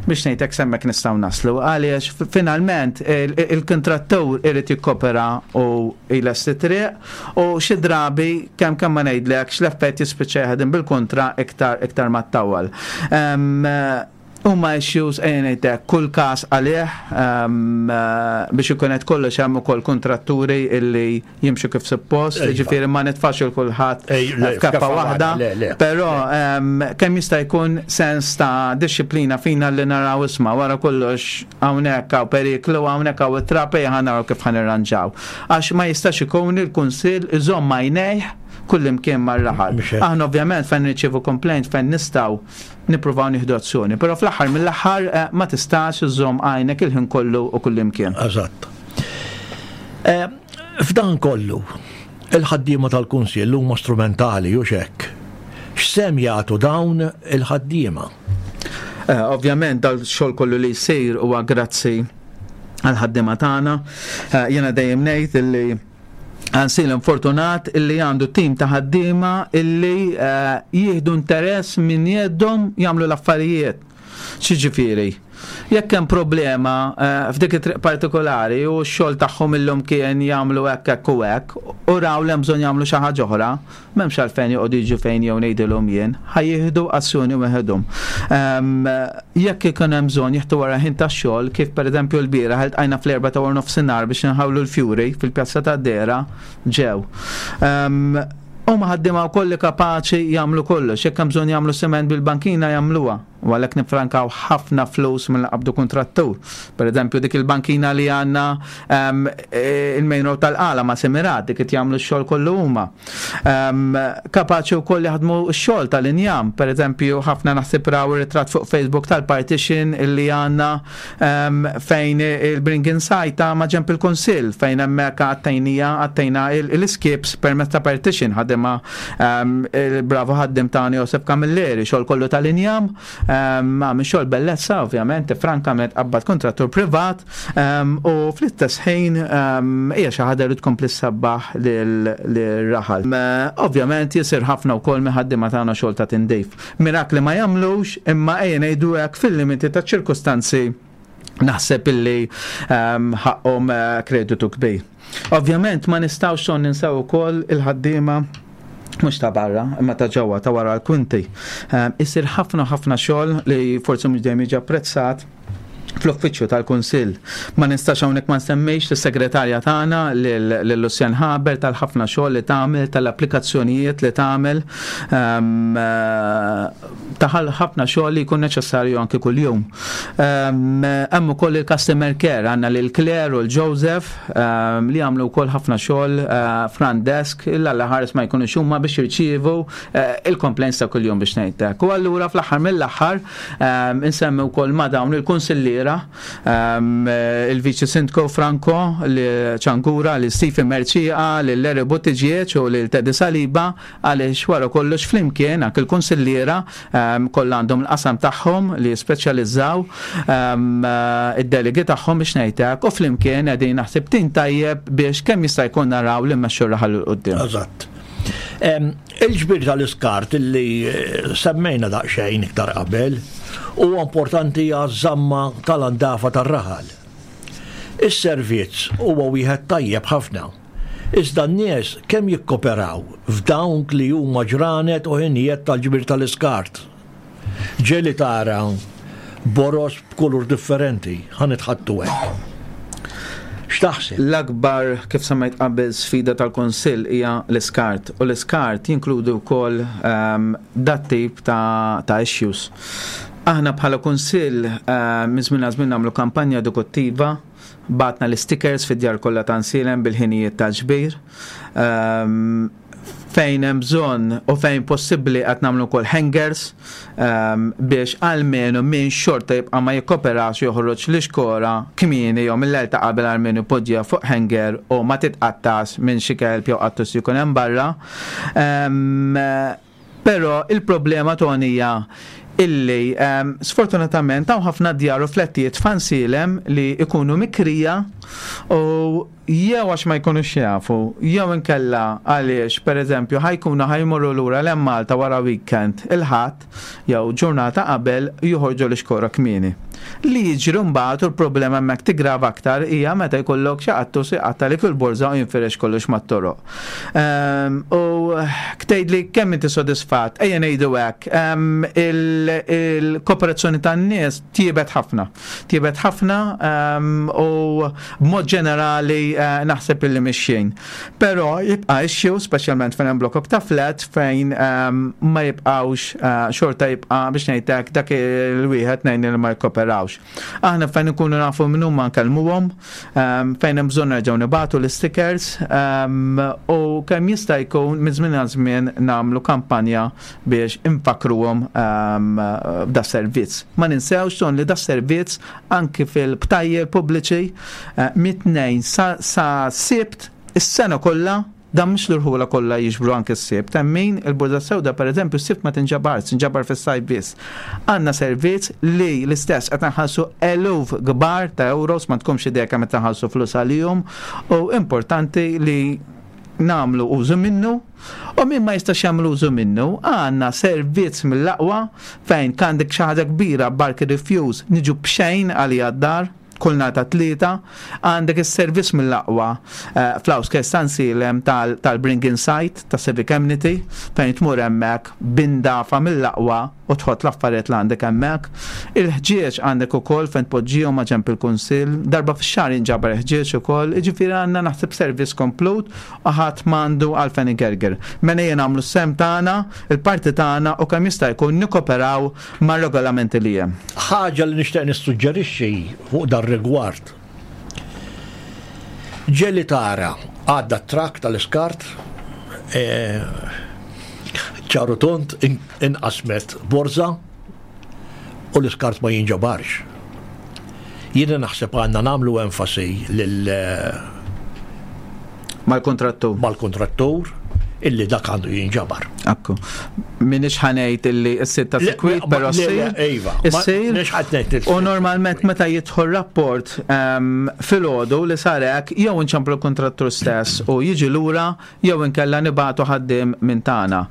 biex ngħidlek s'hemmhekk nistgħu naslu għaliex finalment il-kontrattur irid jikkopera u jlesti triq u xi drabi kemm kemm ma ngħidlekx l-effett jispiċċa jaħdem bil-kontra iktar iktar ma ttawwal. Huma issues ejja ngħidlek kull każ għalih biex ikun qed kollox hemm ukoll kontratturi illi jimxu kif suppost, iva. ġifieri ma nitfax il kulħadd f'kappa waħda, però kemm jista' jkun sens ta' disċiplina fina li naraw isma' wara kollox hawnhekk hawn periklu hawnhekk hawn it-trap ejja ħa naraw kif ħa nirranġaw. Għax ma jistax ikun il-kunsill iżomm għajnejh kullimkien mar-raħal. Aħna ovvjament fejn nirċievu complaint fejn nistgħu nippruvaw nieħdu azzjoni, però fl-aħħar mill-aħħar eh, ma tistax iżomm għajnek il-ħin kollu u kullimkien. Eżatt. Eh, F'dan kollu, il-ħaddiema tal-Kunsill huma strumentali, hux hekk? X'sehem jagħtu dawn il-ħaddiema? Eh, ovvjament dal-xogħol kollu li jsir huwa grazzi għall-ħaddiema tagħna. Eh, jiena dejjem ngħid illi Għansil fortunat illi għandu tim ta' ħaddiema illi eh, jieħdu interess minn jeddhom jagħmlu l-affarijiet. X'jiġifieri? Jekk hemm problema eh, f'dik it-triq partikolari u x-xogħol tagħhom illum kien jagħmlu hekk hekk u hekk, u raw li hemm bżonn jagħmlu xi ħaġa oħra, m'hemmx għalfejn joqogħdu jiġu fejn jew ngħidilhom jien, ħa jieħdu azzjoni weħedhom. Ehm, jekk ikun hemm bżonn jieħdu wara ħin tax-xogħol, kif pereżempju l-bieraħ iltqajna fl-erba' ta' wara nofsinhar biex inħawlu l-fjuri fil-pjazza tad-Dehra, ġew. Ehm, huma ħaddiema wkoll li kapaċi jagħmlu kollox, jekk hemm bżonn jagħmlu siment bil-bankina jagħmluha. U għalhekk niffrankaw ħafna flus milli nqabbdu kuntrattur. Per eżempju, dik il-bankina li għandna ehm, e, il-main road tal-qala ma' Semirat, dik qed jagħmlu x-xogħol kollu huma. Ehm, kapaċi wkoll jaħdmu x-xogħol tal-injam, per eżempju, ħafna naħseb raw ir-ritratt fuq Facebook tal-partition illi għandna ehm, fejn il-Bring Inside ta' ma' ġemp il-Kunsill fejn hemmhekk għattejnija għattejna l-iskips permezz ta' partition ħadimha Il-bravo ħaddim tagħna Josef Camilleri, xogħol kollu tal-injam, għamil xogħol bellezza ovvjament, frankament qabbad kontrattur privat u fl-istess ħin hija xi ħaġa li tkompli ssabbaħ lir-raħal. Ovvjament jisir ħafna wkoll minn ħaddiema tagħna xogħol ta' tindif. Mirakli ma jagħmlux imma ejja ngħidu hekk fil-limiti taċ-ċirkustanzi naħseb illi ehm, ħaqqhom eh, kreditu kbir. Ovvjament ma nistgħux son ninsew ukoll il-ħaddiema mhux ta' barra, imma ta' ġewwa ta' wara l-kwinti. Ehm, isir ħafna ħafna xogħol li forsi mhux dejjem jiġi apprezzat fl-uffiċċju tal-Kunsill. Ma nistax hawnhekk ma nsemmix lis-segretarja tagħna lil Lucien Haber tal-ħafna xogħol li tagħmel, tal-applikazzjonijiet li tagħmel. Ehm, eh, taħal ħafna xogħol li jkun neċessarju anki kuljum. Ehm, hemm ukoll il-customer care għandna lil Claire u l-Joseph ehm, li jagħmlu wkoll ħafna xogħol eh, front desk illa l ħares ma jkunux huma biex jirċievu eh, il-complaints ta' kuljum biex ngħidlek. U allura fl-aħħar mill-aħħar ehm, insemmi wkoll ma' dawn il-kunsilliera il-kunsilliera, il-Viċi Sindku Franco li Ċankura, lil Stephen Mercieqa, lil Larry Buttigieg u lil Teddy Saliba għaliex wara kollox flimkien anke l-kunsilliera kollha għandhom il-qasam tagħhom li jispeċjalizzaw id-delegi tagħhom biex ngħid hekk u flimkien qegħdin naħseb tim tajjeb biex kemm jista' jkun naraw li mmexxu r-raħal 'il quddiem. Eżatt. Il-ġbir tal-iskart li eh, semmejna daqsxejn iktar qabel huwa importanti għaż-żamma tal-andafa tar-raħal. Is-servizz huwa wieħed tajjeb ħafna. Iżda n-nies kemm jikkoperaw f'dawn li huma ġranet u ħinijiet tal-ġbir tal-iskart? Ġieli tara boroż b'kulur differenti, ħa nitħaddtu hekk. X'taħseb? L-akbar, kif semmejt qabel, sfida tal-Kunsill hija l-iskart u l-iskart jinkludi wkoll ehm, dat-tip ta', ta issues. Aħna bħala Kunsill ehm, minn żmien għal żmien nagħmlu kampanja edukattiva, bagħatna l-istickers fid-djar kollha ta' Nsielem bil-ħinijiet tal-ġbir. Ehm, fejn hemm bżonn u fejn possibbli qed nagħmlu wkoll hangers ehm, biex almenu min xorta jibqa' ma jikkoperax joħroġ l-ixkora kmieni jew mill-lejl ta' qabel almenu jpoġġiha fuq hanger u ma titqattax minn xi kelb jew qattus li jkun hemm barra. Ehm, però il-problema Tony hija illi ehm, sfortunatament hawn ħafna djar u flettijiet f'Ansilem li jkunu mikrija u jew għax ma jkunux jafu, jew inkella għaliex, pereżempju, ħa jkunu ħa jmorru lura 'l hemm Malta wara weekend il-Ħadd jew ġurnata qabel joħorġu l-ixkora kmieni. Li jiġri mbagħad u l-problema hemmhekk tiggrava aktar hija meta jkollok xi qattus iqattagħlek il-borża u jinfirex kollox mat-toroq. U tgħidli kemm inti sodisfatt, ejja ngħidu hekk, il-kooperazzjoni tan-nies tjiebet ħafna. Tjiebet ħafna ehm, u b'mod ġenerali eh, naħseb illi mixjin. Però jibqa' issue, speċjalment fejn hemm blokok ta' flat fejn ehm, ma jibqgħux eh, xorta jibqa' biex ngħidlek dak il-wieħed ngħin li ma jkoperawx. Aħna fejn ikunu nafu minn huma nkellmuhom, ehm, fejn hemm bżonn nerġgħu nibatu l-stickers u kemm jista' jkun minn żmien għal żmien nagħmlu kampanja biex infakkruhom ehm, b'da servizz. Ma ninsewx ton li da servizz anki fil-btajjel pubbliċi eh, mit-tnejn sa, sa sibt is-sena kollha dan mhux l-irħula kollha jiġbru anke s-sibt. Hemm min il-Burda Sewda pereżempju s-sibt ma tinġabarx, tinġabar fis-sajf biss. Għandna servizz li l-istess qed nħallsu eluf kbar ta' euros ma tkunx idea kemm qed nħallsu flus għalihom u importanti li nagħmlu użu minnu U min ma jistax jagħmel użu minnu, għandna servizz mill-aqwa fejn għandek xi ħaġa kbira barki refuse niġu b'xejn għalija d-dar kull nhar ta' tlieta, għandek is-servizz mill-aqwa eh, fl-Outskirts ta' Nsielem tal-Bring Insight ta' Civic Amity fejn tmur hemmhekk b'indafa mill-aqwa u tħott l-affarijiet li għandek hemmhekk. Il-ħġieġ għandek ukoll fejn tpoġġihom ma' ġenb il-kunsill. Darba fix-xahar jinġabar il-ħġieġ ukoll, jiġifieri għandna naħseb servizz komplut u ħadd m'għandu għalfejn igerger. Mela ejja nagħmlu s-sehem tagħna, il-parti tagħna u kemm jista' jkun nikkoperaw mar-regolamenti li hemm. Ħaġa li nixtieq nissuġġerixxi fuq dar-rigward. Ġieli tara għadda t-trakk tal-iskart, ċar u tond, inqasmet borża u l-iskart ma jinġabarx. Jiena naħseb għandna nagħmlu enfasi lil Mal-kontrattur. Mal-kontrattur illi dak għandu jinġabar. Akku. Minix ħanejt illi s-sit ta' sikwit, pero s-sir. Iva. Is-sir. Minix ħanejt U normalment meta jidħol rapport ehm, fil-ħodu li sarek, jew nċemplu l-kontrattur stess u jiġi lura, jew inkella nibatu ħaddim minn tagħna.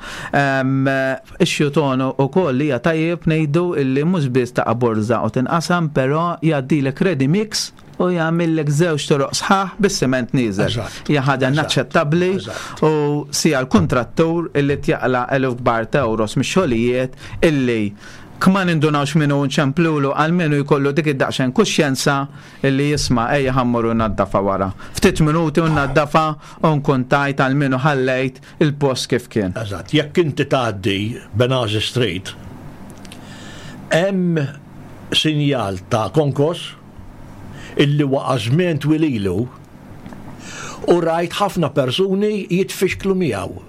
Ehm, ix-xutonu u koll li tajjeb ngħidu illi mhux biss ta' borza u tinqasam, però jgħaddilek ready mix u jagħmillek żewġ toroq sħaħ bis-siment nieżel. Hija ħaġa inaċċettabbli u sija l-kuntrattur illi tjaqla eluf kbar ta' euros mix-xogħlijiet illi kma nindunawx minnu nċemplulu għalmenu jkollu dik id-daqsxejn kuxjenza illi jisma' ejja ħammur u naddafa wara. Ftit minuti u naddafa u nkun tajt għalmenu ħallejt il-post kif kien. Eżatt, jekk inti tgħaddi Benazi Street, hemm sinjal ta' konkos illi waqa' żmien twil ilu u rajt ħafna persuni jitfixklu miegħu.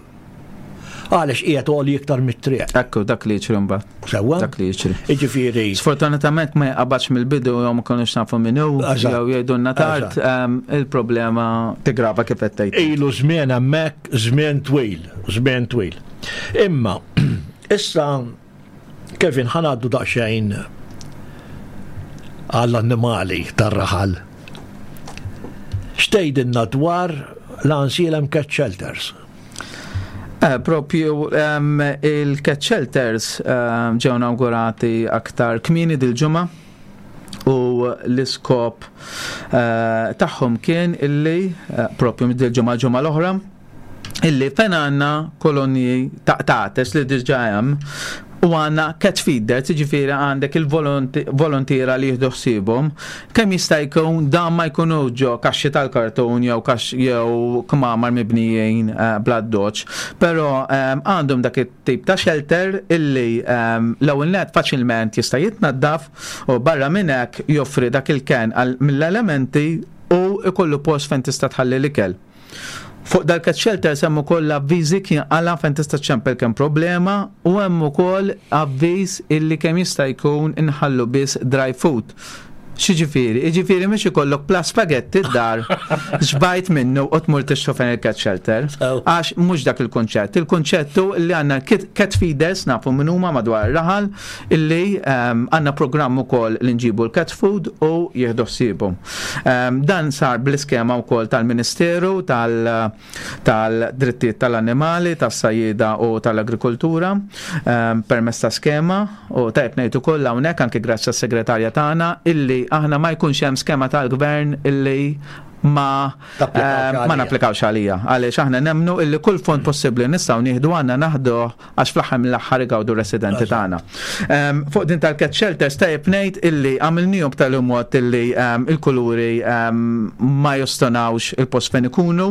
Għaliex qiegħed għoli iktar mit-triq. Ekku, dak li jiġri mbagħad. Sewwa? Dak li jiġri. Jiġifieri. Sfortunatament ma jqabadx mill-bidu jew ma konniex nafu min hu, jew jgħidulna tard, il-problema tigrava kif qed tgħid. Ilu żmien hemmhekk, żmien twil, żmien twil. Imma issa Kevin ħa ngħaddu daqsxejn għall-annimali tar-raħal. X'tgħidilna dwar l-Ansielem Cat Shelters? Eh, propju il-cat shelters ġew inaugurati aktar kmieni dil-ġimgħa u l-iskop eh, tagħhom kien illi eh, propju dil-ġimgħa ġimgħa l-oħra illi fejn għandna kolonji ta' qtates li diġà hemm u għandna cat feeders, jiġifieri għandek il-volontira li jieħdu ħsiebhom, kemm jista' jkun dan ma jkunux ġo kaxxi tal-kartun jew kax jew kmamar mibnijin eh, bl-addoċ, però eh, għandhom dak it-tip ta' shelter illi eh, l-ewwel net faċilment jista' jitnaddaf u barra minn hekk joffri dak il-ken mill-elementi u ikollu post fejn tista' tħalli l-ikel. Fuq dal-cat shelters hemm ukoll avviżi kien qala fejn tista' ċċempel kemm problema u hemm ukoll avviż illi kemm jista' jkun inħallu biss dry food. X'jiġifieri? Jiġifieri mhux ikollok plas spagetti d-dar xbajt minnu u tmur tixtru fejn il-cat shelter. Għax mhux dak il-kunċett. Il-kunċett hu li għandna cat feeders nafu min huma madwar ir-raħal illi ehm, għandna programm ukoll li nġibu l-cat food u jieħdu ħsiebhom. Ehm, dan sar bl-iskema wkoll tal-Ministeru tal-Drittijiet tal-Annimali, tas-Sajjieda u tal-Agrikoltura ehm, permezz ta' skema u tajb ngħid ukoll hawnhekk anke grazzi għas-segretarja tagħna illi aħna ma jkunx hemm skema tal-gvern illi ma ehm, ma napplikawx għalija. Għaliex aħna nemnu illi kull fond possibbli nistgħu nieħdu għandna naħduh għax fl-aħħar mill-aħħar igawdu r-residenti tagħna. Ehm, fuq din tal-cat shelters tajjeb ngħid illi għamilnihom b'tali mod illi ehm, il-kuluri ehm, ma jostonawx il-post fejn ikunu.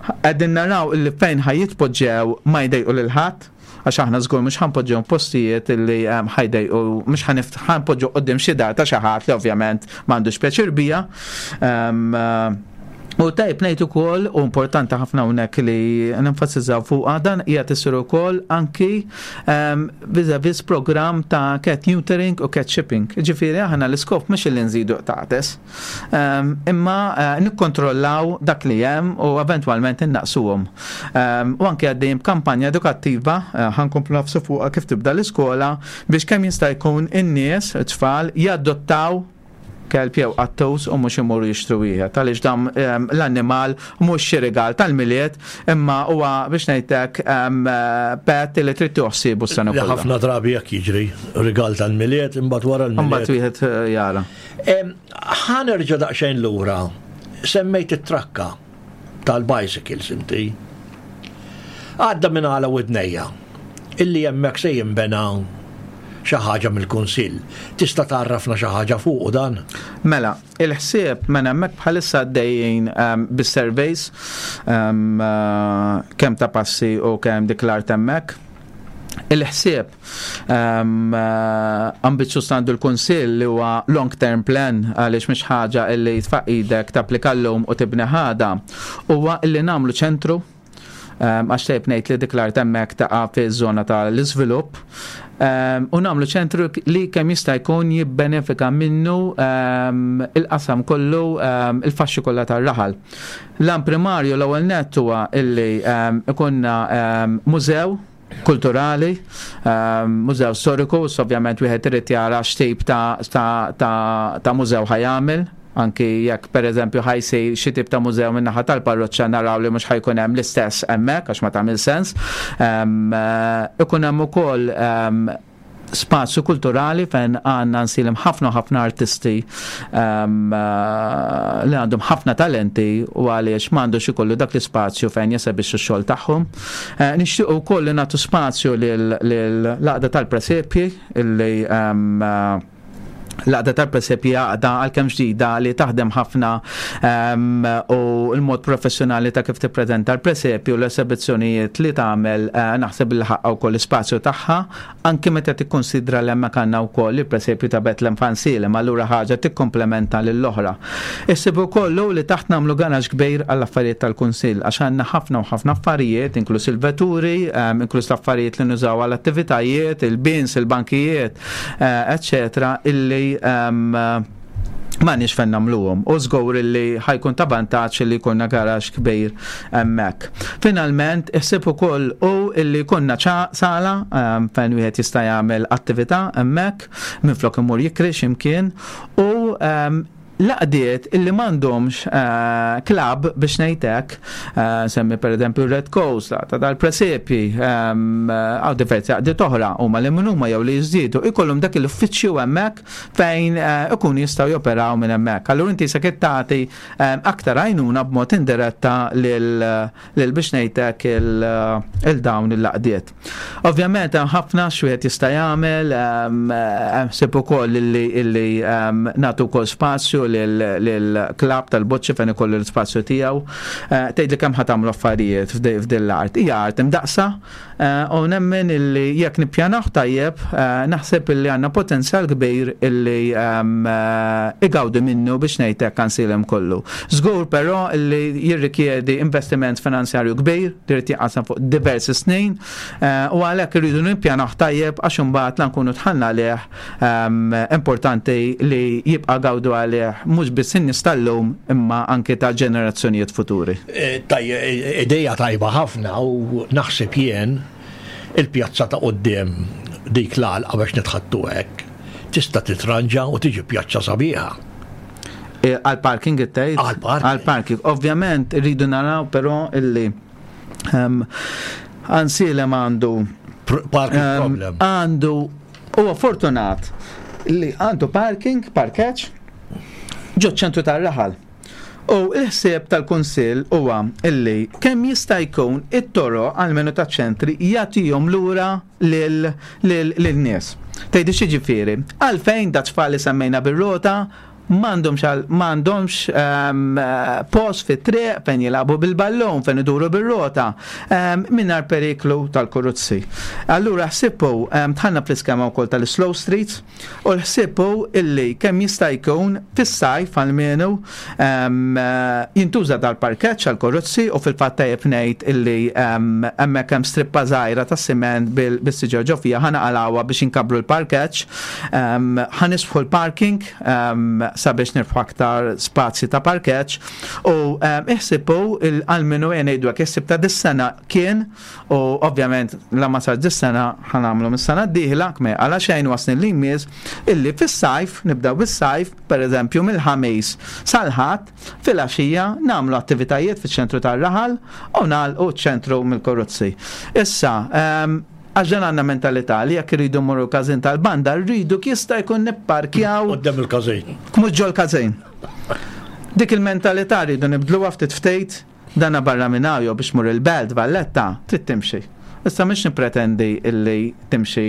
Qegħdin naraw illi fejn ħajjitpoġġew ma jdejqu lil ħadd għax aħna żgur mhux ħanpoġġew postijiet illi ħajdejqu mhux ħanpoġġu qudiem xi dar ta' xi ħadd li ovvjament m'għandux pjaċir bija. U tajb ngħid ukoll u importanti ħafna hawnhekk li nenfasizzaw fuqha dan qiegħed isir ukoll anki ehm, vis-a-vis programm ta' cat neutering u cat shipping. Ġifieri aħna l-iskop mhux li nżidu qtates, ehm, imma eh, nikkontrollaw dak li hemm u eventwalment innaqsuhom. Ehm, u anki għaddejjem kampanja edukattiva eh, ħankomplu nafsu fuqha kif tibda l-iskola biex kemm jista' jkun in-nies, it-tfal, jadottaw kelb jew qattus u mhux imorru jixtru wieħed għaliex dan ehm, l-annimal mhux xi rigal tal-Milied imma huwa biex ngħidlek ehm, pet li trid toħsibu s-sena kollha. Ħafna drabi jekk jiġri rigal tal-Milied imbagħad wara l-Milied. Imbagħad wieħed eh, jara. Ehm, ħa nerġa' daqsxejn lura. Semmejt it-trakka tal-bicycles inti. Għadda minn għala widnejja illi hemmhekk se jinbena xi ħaġa mill-Kunsill. Tista' tgħarrafna xi ħaġa fuqu dan? Mela, il-ħsieb mela hemmhekk bħalissa għaddejjin um, bis-surveys um, uh, kemm ta' passi u kemm dik l-art hemmhekk. Il-ħsieb um, uh, ambizzjuż għandu l-Kunsill li huwa long term plan għaliex mhix ħaġa li tfaq idek tapplika llum u tibni ħada huwa li nagħmlu ċentru ehm, għax tajb ngħid li dik l-art hemmhekk taqa' fiż-żona tal-iżvilupp ehm, u nagħmlu ċentru li kemm jista' jkun jibbenefika minnu ehm, il-qasam kollu il-faxxi kollha tar-raħal. L-an primarju l-ewwel nett huwa illi ikunna mużew kulturali, mużew storiku, ovvjament wieħed irid jara x'tip ta', ta, ta, ta mużew ħajamel, anki jekk pereżempju ħajsir xi tip ta' mużew min-naħa tal-parroċċa naraw li mhux ħajkun hemm l-istess hemmhekk għax ma tagħmel sens. Eh, ikun hemm ukoll spazju kulturali fejn għandna nsilem ħafna ħafna artisti um, eh, li għandhom ħafna talenti u għaliex m'għandux ikollu dak l-ispazju fejn jesebixxu x-xogħol tagħhom. Eh, nixtiequ wkoll li nagħtu spazju lill-għaqda tal-presepji illi um, eh, L-għaqda tal-presepji għaqda għalkemm ġdida li taħdem ħafna ehm, u l-mod professjonali ta' kif tippreżenta l-presepju l-esebizzjonijiet li tagħmel eh, naħseb li ħaqqa wkoll l-ispazju tagħha anke meta tikkonsidra li hemmhekk għandna wkoll il-presepju ta' Betlem Fansilem allura ħaġa tikkomplementa lill-oħra. Issib ukoll li taħt nagħmlu garax kbir għall-affarijiet tal-Kunsill għax għandna ħafna u ħafna affarijiet, inkluż il-vetturi, ehm, inkluż l-affarijiet li nużaw għall-attivitajiet, il-bins, il-bankijiet, eccetera, illi ehm, ma nix fejn nagħmluhom u żgur illi ħajkun ta' vantaġġ li jkollna garax kbir hemmhekk. Finalment, iħsib ukoll u illi jkollna sala ehm, fejn wieħed jista' jagħmel attività hemmhekk minflok imur jikri x'imkien u ehm, l-għaqdiet illi m'għandhomx eh, klabb biex ngħid hekk, eh, semmi pereżempju Red Coast, ta' dal-presepi, ehm, għaw diversi għaqdiet oħra huma li minn huma jew li jiżdiedu, ikollhom dak l-uffiċċju hemmhekk fejn eh, ikunu jistgħu joperaw minn hemmhekk. Allura inti se tagħti ehm, aktar għajnuna b'mod indiretta lil biex ngħidlek il-dawn il-laqdiet. Ovvjament hemm ħafna x'wieħed jista' jagħmel, hemm ħsieb ukoll illi nagħtu wkoll spazju lill-klabb tal-boċċi fejn ikollu l-ispazju tiegħu. Eh, tgħidli kemm ħa tagħmlu affarijiet f'din l-art. Hija art imdaqsa eh, u nemmen illi jekk nippjanaw tajjeb, eh, naħseb illi għandna potenzjal kbir illi igawdi minnu biex ngħid hekk għansilem kollu. Żgur però illi jirrikjedi investiment finanzjarju kbir, li jrid jinqasam fuq diversi snin eh, u għalhekk irridu nippjanaw tajjeb għax imbagħad la nkunu tħallna għalih ehm, importanti li jibqa' gawdu għalih mhux biss in-nies tal-lum imma anke ta' ġenerazzjonijiet futuri. Eh, eh, ideja tajba ħafna u naħseb jien il-pjazza ta' quddiem dik l-għalqa biex nitħattu hekk tista' titranġa u tiġi pjazza sabiħa. Eh, għal-parking it-tgħid? Għal-parking. Għal-parking. Ovvjament rridu naraw però illi ehm, Ansilem għandu parking ehm, problem. Għandu huwa fortunat li għandu parking, parkeċ, ġo ċentru tar-raħal. U il-ħsieb tal-Kunsill huwa illi kemm jista' jkun it-toro għal-menu taċ-ċentri jagħtihom lura lil-nies. Tgħidu xi Għalfejn da tfal li semmejna bir-rota m'għandhomx m'għandhomx ehm, post fit-triq fejn jilagħbu bil-ballun, fejn iduru bir-rota, ehm, mingħajr periklu tal-kuruzzi. Allura ħsibu ehm, tħanna fl-iskema wkoll tal-slow streets u l-ħsibu illi kemm jista' jkun fis-sajf għalmenu jintuża dal-parkeġġ għall-kuruzzi u fil-fatt tajjeb ngħid illi hemmhekk hemm strippa żgħira tas-siment bis-siġar ġo fiha ħa naqalgħuha biex inkabbru l-parkeġġ, ħa nisbħu l-parking sabiex nirbħu aktar spazji ta' parkeġġ u iħsibu għal-minu ngħidu hekk issib ta' dis-sena kien u ovvjament la ma sar dis-sena ħa nagħmlu mis-sena d-dieħla kme għala xejn wasni li jmiss illi fis-sajf nibdew bis-sajf pereżempju mill-ħamis sal-ħadd filgħaxija nagħmlu attivitajiet fiċ-ċentru tar-raħal u nagħlqu ċ-ċentru mill-karozzi. Issa, għax dan għandna mentalità li jekk irridu mmorru każin tal-banda, rridu jista' jkun nipparkjaw. Quddiem il-każin. Mhux ġol każin. Dik il-mentalità rridu nibdluha ftit ftit, dana barra minn hawn jew biex mur il-belt Valletta, trid timxi. Issa mhux nippretendi illi timxi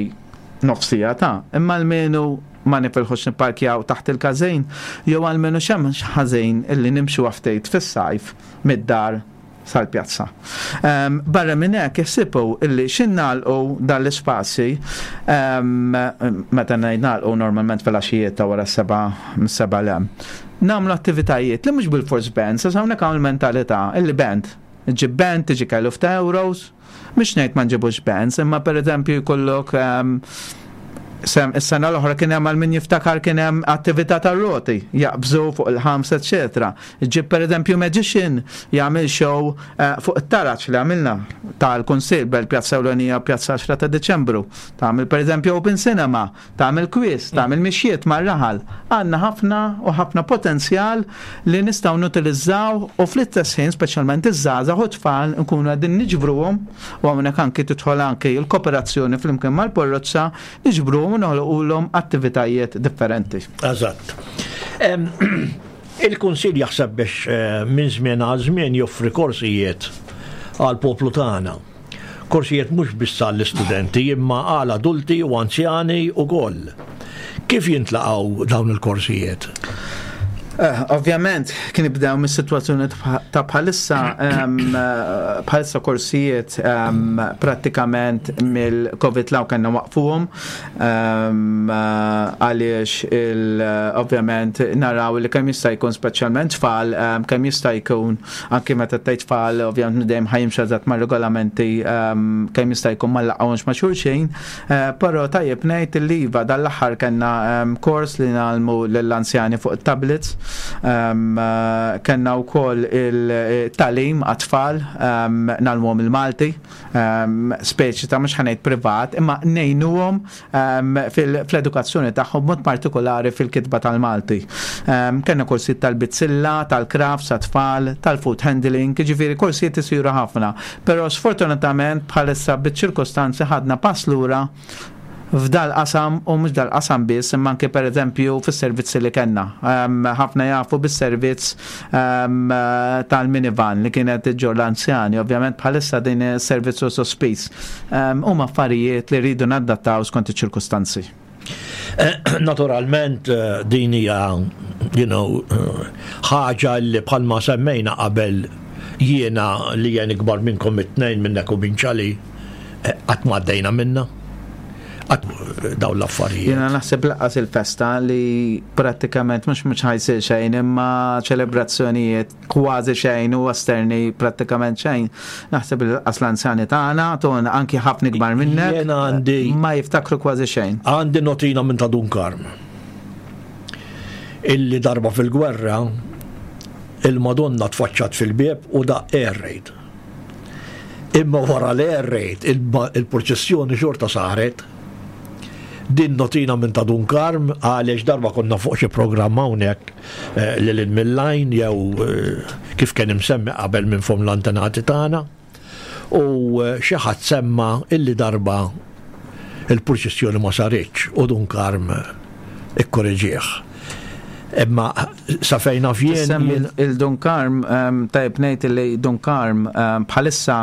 nofsija ta' imma almenu ma nifilħux nipparkjaw taħt il-każin jew almenu x'hemm ħażin illi nimxu ftit fis-sajf mid-dar sal-pjazza. Um, barra minn hekk iħsibu illi xin nagħlqu dan l-ispazji um, meta ngħid nagħlqu normalment fil-għaxijiet ta' wara s-seba' mis-seba' lem. Nagħmlu attivitajiet li mhux bil-fors band, sa hawnhekk hawn il-mentalità illi band. Ġib band tiġi kellu f'ta' euros, mhux ngħid ma nġibux bands, imma pereżempju jkollok um, Sem, is-sena l-oħra kien hemm għal min jiftakar kien hemm attività tar-roti, jaqbżu fuq il-ħams, eċetera. Ġib pereżempju magician jagħmel show eh, fuq it-taraġ li għamilna tal-Kunsill bel Pjazza Ewlenija Pjazza 10 ta' Diċembru. Tagħmel pereżempju open cinema, tagħmel quiz, tagħmel mixjiet mar-raħal. Għandna ħafna u ħafna potenzjal li nistgħu nutilizzaw u fl-istess ħin speċjalment iż-żgħażagħ u tfal nkunu qegħdin niġbruhom u hawnhekk anki tidħol anki l-kooperazzjoni flimkien mal-Porrozza niġbruhom u noħloqulhom attivitajiet differenti. Eżatt. Il-Kunsill jaħseb biex eh, minn żmien għal żmien joffri korsijiet għal poplu tagħna. Korsijiet mhux biss għall-istudenti imma għal adulti u anzjani ukoll. Kif jintlaqgħu dawn il-korsijiet? Eh, ovvjament, kien ibdew mis-sitwazzjoni ta' bħalissa eh, bħalissa korsijiet prattikament mill-Covid law kellna waqfuhom eh, għaliex ovvjament naraw li kemm jista' jkun speċjalment tfal kemm jista' jkun anki meta tgħid tfal ovvjament dejjem ħajimxu eżatt mar-regolamenti kemm jista' jkun ma laqgħux ma' xulxin Eh, però tajjeb ngħid li iva dal-aħħar kellna ehm, kors li nagħlmu lill-anzjani fuq it-tablets, ehm, eh, kellna wkoll il-talim għat-tfal ehm, nagħlmuhom il-Malti, speċi ta' mhux ħanejt privat, imma ngħinuhom fl-edukazzjoni tagħhom mod partikolari fil-kitba tal-Malti. Kellna korsijiet tal-bizzilla, tal-crafts għat-tfal, tal-food handling, jiġifieri korsijiet isiru ħafna. Però sfortunatament bħalissa biċ-ċirkostanzi ħadna pass lura f'dal-qasam u mhux dal-qasam biss imma anke pereżempju fis-servizzi li kellna. Ħafna jafu bis-servizz tal-minivan li kienet iġġorr l-anzjani, ovvjament bħalissa din is-servizz hu sospiż. Huma affarijiet li rridu nadattaw skont iċ-ċirkustanzi. Eh, naturalment eh, din hija you know, eh, ħaġa li bħalma semmejna qabel jiena li jien ikbar minnkom it-tnejn minnek u minn ċali qatt ma għaddejna minna dawn l-affarijiet. Jiena naħseb laqqas il-festa li prattikament mhux mhux ħajsir xejn imma ċelebrazzjonijiet kważi xejn u esterni prattikament xejn. Naħseb li lanqas l-anzjani tagħna, ton anki ħafna ikbar minnek. Jiena għandi. Ma jiftakru kważi xejn. Għandi notina minn ta' Dun Karm. Illi darba fil-gwerra il-Madonna tfaċċat fil-bieb u daqq air raid. Imma wara l-air raid il-purċissjoni xorta saret. Din notina minn ta' Dun Karm għaliex darba konna fuq xi programm hawnhekk eh, lil hinn mill-lajn jew eh, kif kien imsemmi qabel minn fom l-antenati tagħna. U eh, xi ħadd semma illi darba il-purċissjoni ma saritx u Dun Karm ikkoreġih. Imma sa fejn naf jien. Il-Dun Karm, ehm, tajb ngħid li Dun Karm ehm, bħalissa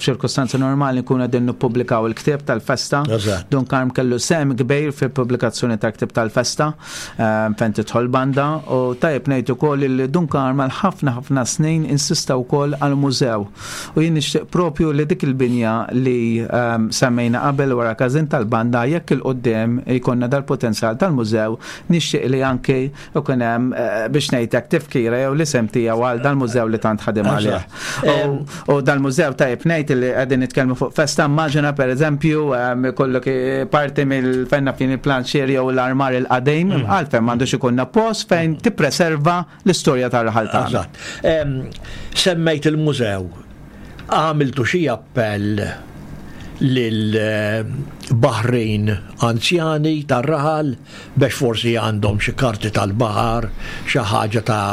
f'ċirkustanzi normali nkunu qegħdin nippubblikaw il-ktieb tal-festa. Dun Karm kellu sehem kbir fil-pubblikazzjoni tal-ktieb tal-festa ehm, fejn tidħol banda u tajjeb ngħid ukoll li Dun Karm għal ħafna ħafna snin insista wkoll għal mużew. U jien nixtieq propju li dik il-binja li ehm, semmejna qabel wara każin tal-banda jekk il-qudiem jkollna dal-potenzjal tal-mużew nixtieq li anke ikun hemm eh, biex ngħidlek tifkira jew l-isem tiegħu għal dal-mużew li tant ħadem għalih. U dal-mużew tajjeb ngħid li qegħdin nitkellmu fuq festa immaġina pereżempju ikollok eh, parti mill-fenna fin il-planċier jew l-armar il-qadim, mm. għalfejn m'għandux ikunna post fejn tippreserva l-istorja tar-raħal tagħna. Semmejt il-mużew Għamiltu xi appell lil baħrin anzjani tar-raħal bex forsi għandhom xi karti tal-baħar, xi ħaġa ta'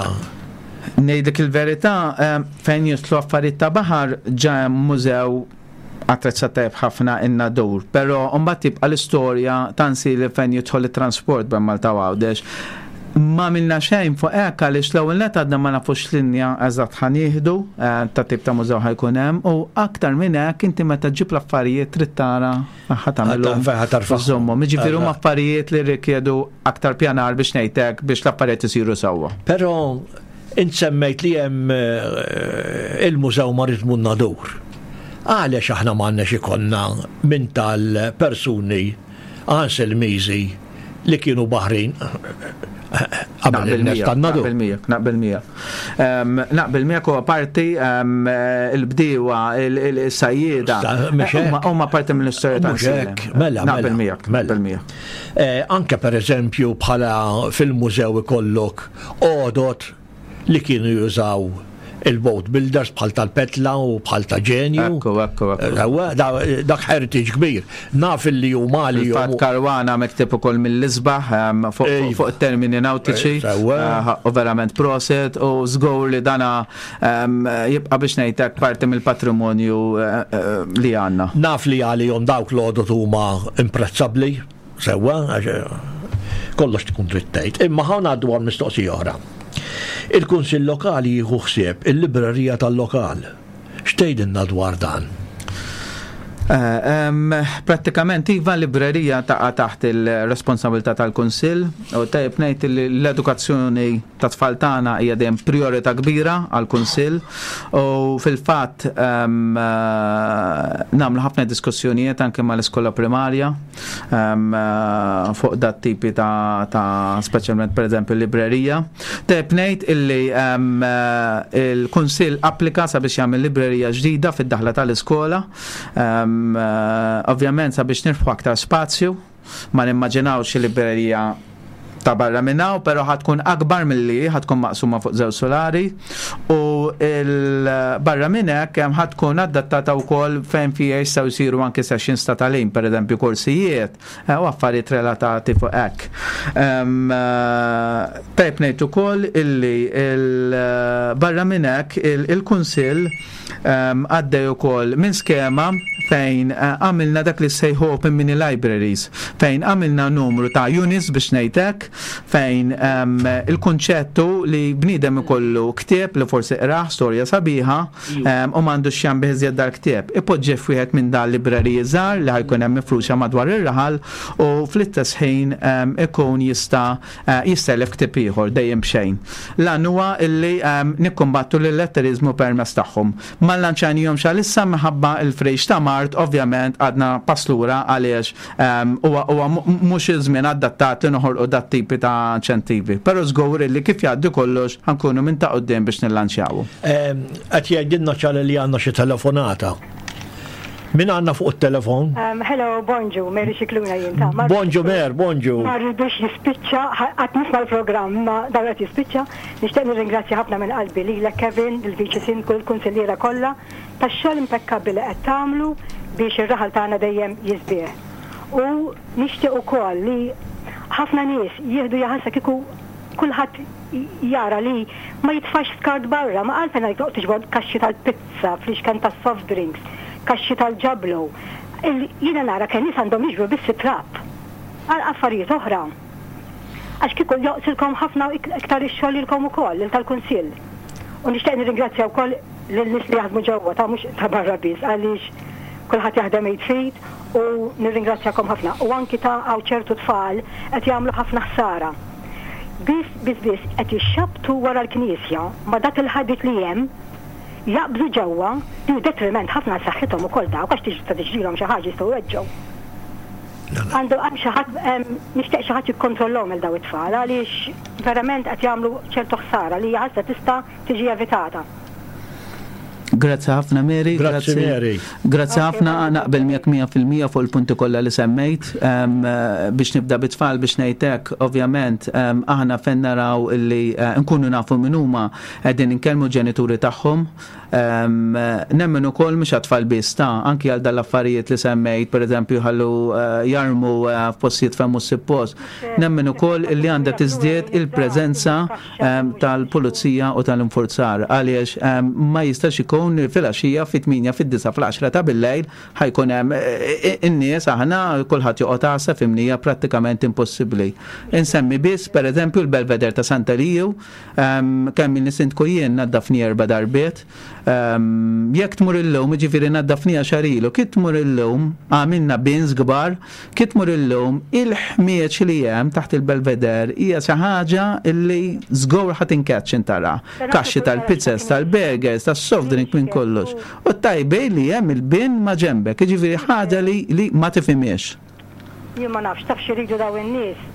Ngħidlek il-verità, fejn jidħlu affarijiet ta' baħar ġa hemm mużew attrezzat tajjeb ħafna in-Nadur, però mbagħad tibqa' l-istorja ta' nsili fejn jidħol it-transport bejn Malta u Għawdex. M'għamilna xejn fuq hekk għaliex l-ewwel nett għadna ma nafux x'linja eżatt ħa nieħdu, ta' tip ta' mużew ħa jkun hemm u aktar minn hekk inti meta ġġib l-affarijiet trid tara ħa tagħmilhom iżżommhom. Jiġifieri huma affarijiet li rrikjedu aktar pjanar biex ngħid hekk biex l-affarijiet isiru sewwa. Però int semmejt li hemm il-Mużew Maritmu Nadur. Għaliex aħna m'għandniex ikollna minn tal-persuni Anselmiżi li kienu baħrin qabel il-nes tan-nadu. Naqbel miegħek, naqbel miegħek. Naqbel miegħek huwa parti il-bdiewa, il-sajjieda. Huma parti mill-istorja ta' Mela, naqbel miegħek, mela. naqbel miegħek. Eh, anke pereżempju bħala fil-mużew ikollok għodot li kienu jużaw il-boat builders bħal tal-Petla u bħal ta' Ġenju. Ekku, ekku, ekku. Dak heritage kbir. Naf li huma li Fat Karwana mektib ukoll mill-isbaħ ehm, fuq termini nautiċi. Eh, u verament proset u żgur li dana ehm, jibqa' biex ngħidlek parti mill-patrimonju eh, eh, li għandna. Naf li għalihom dawk l-għodot huma imprezzabbli. Sewwa, għax eh, kollox tkun trid tgħid. Imma ħa ngħaddu għal mistoqsija oħra. Il-Kunsill Lokali jieħu ħsieb il-librerija tal-lokal. X'tgħidilna dwar dan? Eh, prattikament iva librerija taqa' taħt il-responsabilità tal-Kunsill u tajjeb ngħid li l-edukazzjoni ta' tfal tagħna hija dejjem priorità kbira għall-Kunsill u fil-fatt eh, nagħmlu ħafna diskussjonijiet anke mal-iskola primarja eh, fuq dat tipi ta', ta speċjalment pereżempju librerija. Tajjeb ngħid illi il-Kunsill applika sabiex jagħmel librerija ġdida fid-daħla tal-iskola. Eh, ovvjament sabiex nirbħu aktar spazju, ma nimmaġinawx librerija ta' barra minn hawn, però ħa tkun akbar milli ħa tkun maqsuma fuq żewġ solari u barra minn hekk ħa tkun adattata wkoll fejn fiha jistgħu jsiru anke sessions ta' tagħlim, pereżempju korsijiet, Eh, u affarijiet relatati fuq hekk. Eh, tajb ngħid ukoll illi eh, barra minn hekk il-Kunsill għaddej ukoll minn skema fejn għamilna dak li sejħu Open Mini Libraries, fejn għamilna numru ta' units biex ngħidlek, fejn il-kunċettu li bniedem ikollu ktieb li forsi qrah storja sabiħa, u m'għandux x'jagħmel bih iżjed dal-ktieb. Ipoġġih f'wieħed minn dal libreriji żgħar li ħa jkun hemm mifruxa madwar ir-raħal u fl-istess ħin ikun jista' eh, jistelef ktieb ieħor dejjem b'xejn. L-għan huwa illi nikkumbattu l-illetteriżmu permezz tagħhom. Ma llanċajnihomx għalissa minħabba l-frejx ta' mard, ovvjament għadna pass lura għaliex huwa mhux iż-żmien adattat li noħolqu dat-tipi ta' inċentivi. Però żgur illi kif jgħaddi kollox ħa nkunu minn ta' quddiem biex nillanċjawu. Qed jgħidilna Charlie li għandna xi telefonata. Min għandna fuq it-telefon? Hello, bonġu, Mary Scicluna jien ta' Bonġu Mer, bonġu. Ma rridux jispiċċa, qatt nisma' l-programm ma dan qed jispiċċa. Nixtieq nirringrazzja ħafna minn qalbi lilek Kevin, lill-Viċi Sindku, lill-Kunsilliera kollha tax-xogħol impekkabbli li qed tagħmlu biex ir-raħal tagħna dejjem jisbieħ. U nixtieq ukoll li ħafna nies jieħdu jaħasra kieku kulħadd jara li ma jitfax skart barra, ma għalfejn għalik toqgħod tiġbor kaxxi tal-pizza, fliexken tas-soft drinks, kaxxi tal-ġablo. Jiena nara kemm nies għandhom jiġbru biss it-trab. Għal affarijiet oħra. Għax kieku joqsilkom ħafna iktar ix-xogħol lilkom ukoll, lil tal-Kunsill. U nixtieq nirringrazzja wkoll lin-nies li jaħdmu ġewwa ta' mhux ta' barra biss għaliex kulħadd jaħdem id f'id u nirringrazzjakom ħafna. U anki ta' hawn ċertu tfal qed jagħmlu ħafna ħsara. Biss biss biss qed jixxabbtu wara l-knisja ma' dak il-ħadid li hemm jaqbżu ġewwa li hu detriment ħafna għal saħħithom ukoll dawk għax tista' tiġrilhom xi ħaġa jistgħu jweġġgħu. Għandu hemm xi ħadd nixtieq xi ħadd jikkontrollhom lil dawn it-tfal għaliex verament qed jagħmlu ċertu ħsara li hija ħasra tista' tiġi evitata. Grazzi ħafna Mary. Grazzi Mary. Grazzi ħafna naqbel miegħek 100% fuq il-punti kollha li semmejt. Biex nibda bit-tfal biex ngħid hekk, ovvjament aħna fejn naraw li eh, nkunu nafu min huma qegħdin inkellmu ġenituri tagħhom. Nemmen ukoll mhux għat-tfal biss ta' anki għal dal-affarijiet li semmejt, pereżempju ħallu eh, jarmu eh, f'postijiet fejn mhux suppost. Nemmen ukoll li għandha tiżdied il-preżenza tal-pulizija u tal-infurzar għaliex ma jistax ikun li filgħaxija fit-8 fid-9 fl-10 ta' billejl ħa jkun hemm e, e, in-nies aħna kulħadd joqgħod għassa fimnija prattikament impossibbli. Insemmi biss pereżempju l-Belveder ta' Santa Liju kemm il-sindku jien naddafni erba' darbiet Jekk tmur illum, jiġifieri naddafniha xahar ilu, kif tmur illum, għamilna bins kbar, kif tmur illum, il-ħmieġ li hemm taħt il-belveder hija xi ħaġa li żgur ħa tinkeċċ int tara. Kaxxi tal-pizzas, tal-burgers, tas-soft drink minn kollox. U t-tajba hi li hemm il-bin ma' ġenbek, jiġifieri ħaġa li ma tifhimhiex. Jien ma nafx, taf x'iridu dawn in-nies?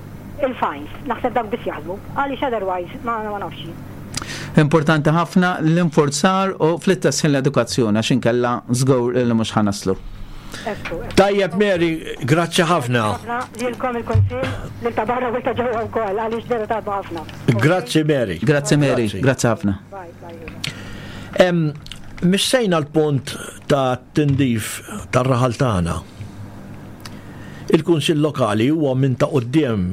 Il-fines. Naħseb dawk biss jaħdmu. Għaliex otherwise ma ma nafx jien. Importanti ħafna l-infurzar u fl-istess ħin l-edukazzjoni għax inkella żgur li mhux ħa naslu. Ekku, ekku. Tajjeb Mary, grazzi ħafna. Ħafna lilkom il-Kunsill, lil ta' barra u ta' ġewwa wkoll għaliex vera taħdmu ħafna. Grazzi Mary. Grazzi Mary, grazzi ħafna. Bye, bye. Em, Missejna l-punt ta' tindif tar-raħal tagħna. Il-Kunsill Lokali huwa minn ta' quddiem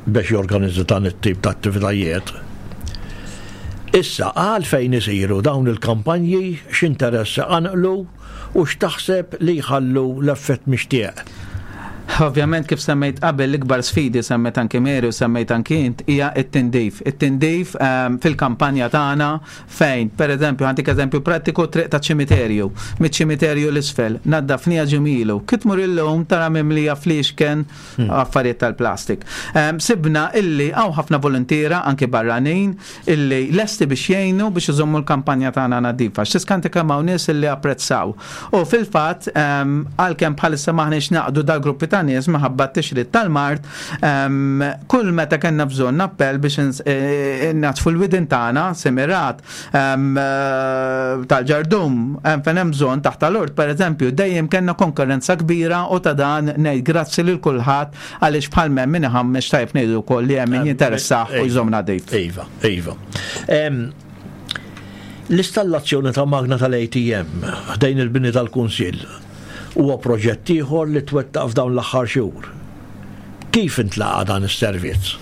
biex jorganizza dan it-tip ta' attivitajiet. Issa, għalfejn isiru dawn il-kampanji, x'interess iqanqlu u x'taħseb li jħallu l-effett mixtieq? Ovvjament kif semmejt qabel l-ikbar sfidi semmejt anki Mary u semmejt anki int hija t-tindif. It-tindif ehm, fil-kampanja tagħna fejn, pereżempju, ħantik eżempju prattiku triq ta' ċimiterju, miċ-ċimiterju l-isfel, naddafnija ġimilu. Kif tmur illum tara mimlija fliexken hmm. affarijiet tal-plastik. Ehm, sibna illi hawn ħafna volontiera anki barranin illi lesti biex jgħinu biex iżommu l-kampanja tagħna nadifa. X'tiskanti kemm hawn nies illi apprezzaw. U fil-fatt, ehm, għalkemm bħalissa maħniex naqdu dal-gruppi ta' nies minħabba t-tixrid tal-mard, ehm, kull meta kellna bżonn appell biex e, e, natfu l-widin tagħna, semirat, ehm, e, tal-ġardum, fejn hemm bżonn taħt tal-ort, pereżempju, dejjem kellna konkurrenza kbira u ta' dan ngħid grazzi lil kulħadd għaliex bħal hemm min iħammex tajjeb ngħidu wkoll li hemm min jinteressah u jżomm nadif. Iva, iva. L-istallazzjoni ta' magna tal-ATM ħdejn il-bini tal-Kunsill huwa proġett ieħor li twettaq f'dawn l-aħħar xhur. Kif intlaqa' dan is-servizz?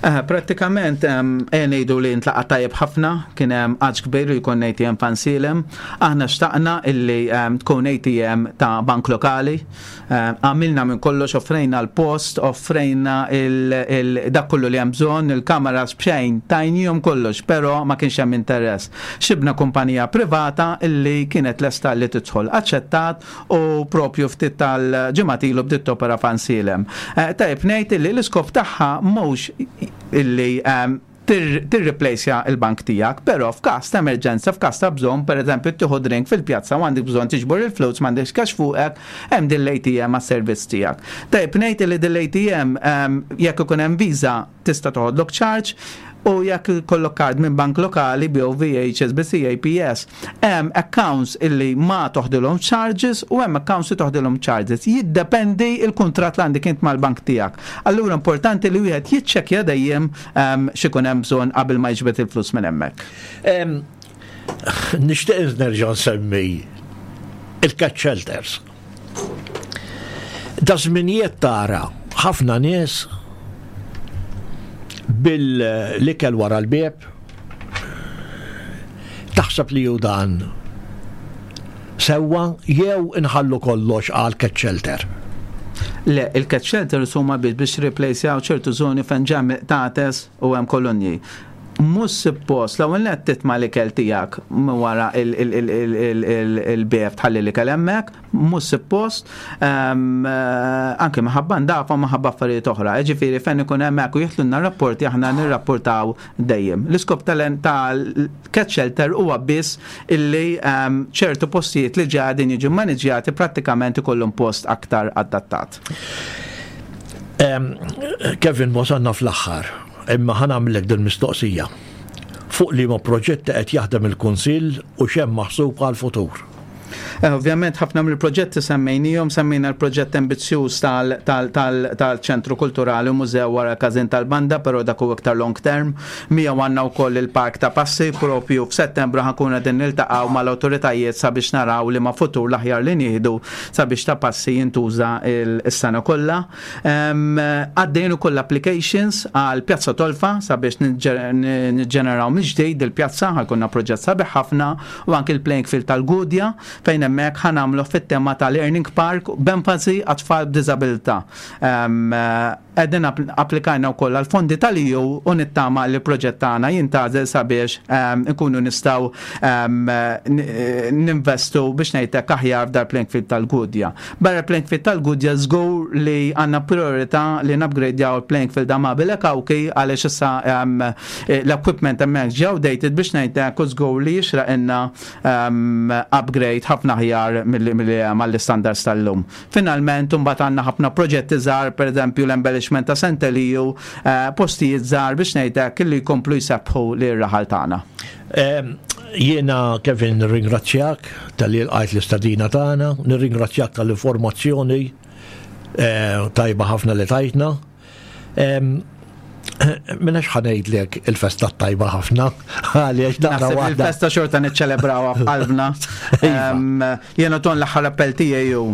Eh, prattikament ejja ngħidu li ntlaqa' tajjeb ħafna, kien hemm għaġ kbir li jkun ATM fansilem. Aħna xtaqna illi tkun ATM ta' bank lokali. Għamilna minn kollox, offrejna l-post, offrejna dak kollu li hemm bżonn, il-kameras b'xejn, tajnihom kollox, però ma kienx hemm interess. Xibna kumpanija privata illi kienet lesta li tidħol. Aċċettat u propju ftit tal-ġimgħat ilu bdiet topera f'Ansielem. Tajjeb ngħid illi l-iskop tagħha mhux illi tirriplejsja l-bank tiegħek, però f'każ ta' emerġenza, f'każ ta' bżonn, pereżempju tieħu drink fil-pjazza u għandek bżonn tiġbor il-flus m'għandekx cash fuqek, hemm din l-ATM għas-servizz tiegħek. Tajjeb ngħid li din l-ATM ehm, jekk ikun hemm Visa tista' toħodlok charge u jekk ikollok card minn bank lokali BOV, HSBC, APS, Hemm accounts illi ma toħdilhom charges u hemm accounts li toħdilhom charges. Jiddependi il-kuntratt li għandek int mal-bank tiegħek. Allura importanti li wieħed jiċċekkja dejjem ehm, x'ikun hemm bżonn qabel ma jiġbed il-flus minn hemmhekk. Ehm, nixtieq nerġa' nsemmi il-cat shelters. Da żminijiet tara ħafna nies bil-ikel wara l-bieb Taħseb li hu dan sewwa jew inħallu kollox għal cat shelter? Le, il-cat shelters huma biss biex replacejaw ċertu żoni fejn ġa qtates u hemm kolonji. Mhux suppost, l-ewwel nett titma' l-ikel tiegħek minn wara il-bieb tħalli l-ikel hemmhekk, mhux suppost, ehm, eh, anke minħabba ndafa u minħabba affarijiet oħra. Ġifieri fejn ikun hemmhekk u jiħlulna rapporti aħna nirrapportaw dejjem. L-iskop tal-cat shelter huwa biss illi ehm, ċertu postijiet li ġadin jiġu maniġjati prattikament ikollhom post aktar adattat. Ehm, Kevin, wasalna fl-aħħar, imma ħanamlek din mistoqsija. Fuq li ma proġetti qed jaħdem il-Kunsill u x'hemm maħsub għal-futur? Eh, ovvjament ħafna mill-proġetti semmejnihom, semmejna l-proġett ambizzjuż tal-ċentru kulturali u mużew wara każin tal-banda, però dak hu iktar long term. Miegħu għandna wkoll il-park ta' passi propju f'Settembru ħankun qegħdin niltaqgħu mal-awtoritajiet sabiex naraw li ma futur l-aħjar li nieħdu sabiex ta' passi jintuża s-sena kollha. Għaddejn ukoll applications għal Pjazza Tolfa sabiex niġġeneraw mill-ġdid il-pjazza ħajkunna proġett sabiħ ħafna u anki l-playing field tal-Gudja fejn hemmhekk ħa nagħmluh fit-tema ta' Learning Park b'enfasi għat-tfal b'diżabilità. Qegħdin applikajna wkoll għal fondi tal-EU u nittama li l-proġett tagħna jintgħażel sabiex inkunu nistgħu ninvestu biex ngħidlek aħjar f'dar playing field tal-Gudja. Barra playing field tal-Gudja żgur li għandna priorità li nupgradejaw il-playing field Amabile Cauchi għaliex issa L-equipment hemmhekk ġie outdated biex ngħidlek u żgur li jixraqilna ehm, upgrade ħafna aħjar milli hemm għall-istandards tal-lum. Finalment imbagħad għandna ħafna proġetti żgħar, pereżempju l-embellishment ta' Sant'Eliju, eh, postijiet żgħar biex ngħidlek li jkomplu jsebbħu lir-raħal tagħna. Ehm, jiena Kevin nirringrazzjak tal-li lqajt l-istadina tagħna, nirringrazzjak tal-informazzjoni eh, tajba ħafna li tajtna. Minna xħanejdlek il-festa tajba ħafna, għaliex naqra waħda. Il-festa xorta niċċelebrawha f'qalbna. Iva. Jena ton l-aħħar appell tiegħi hu.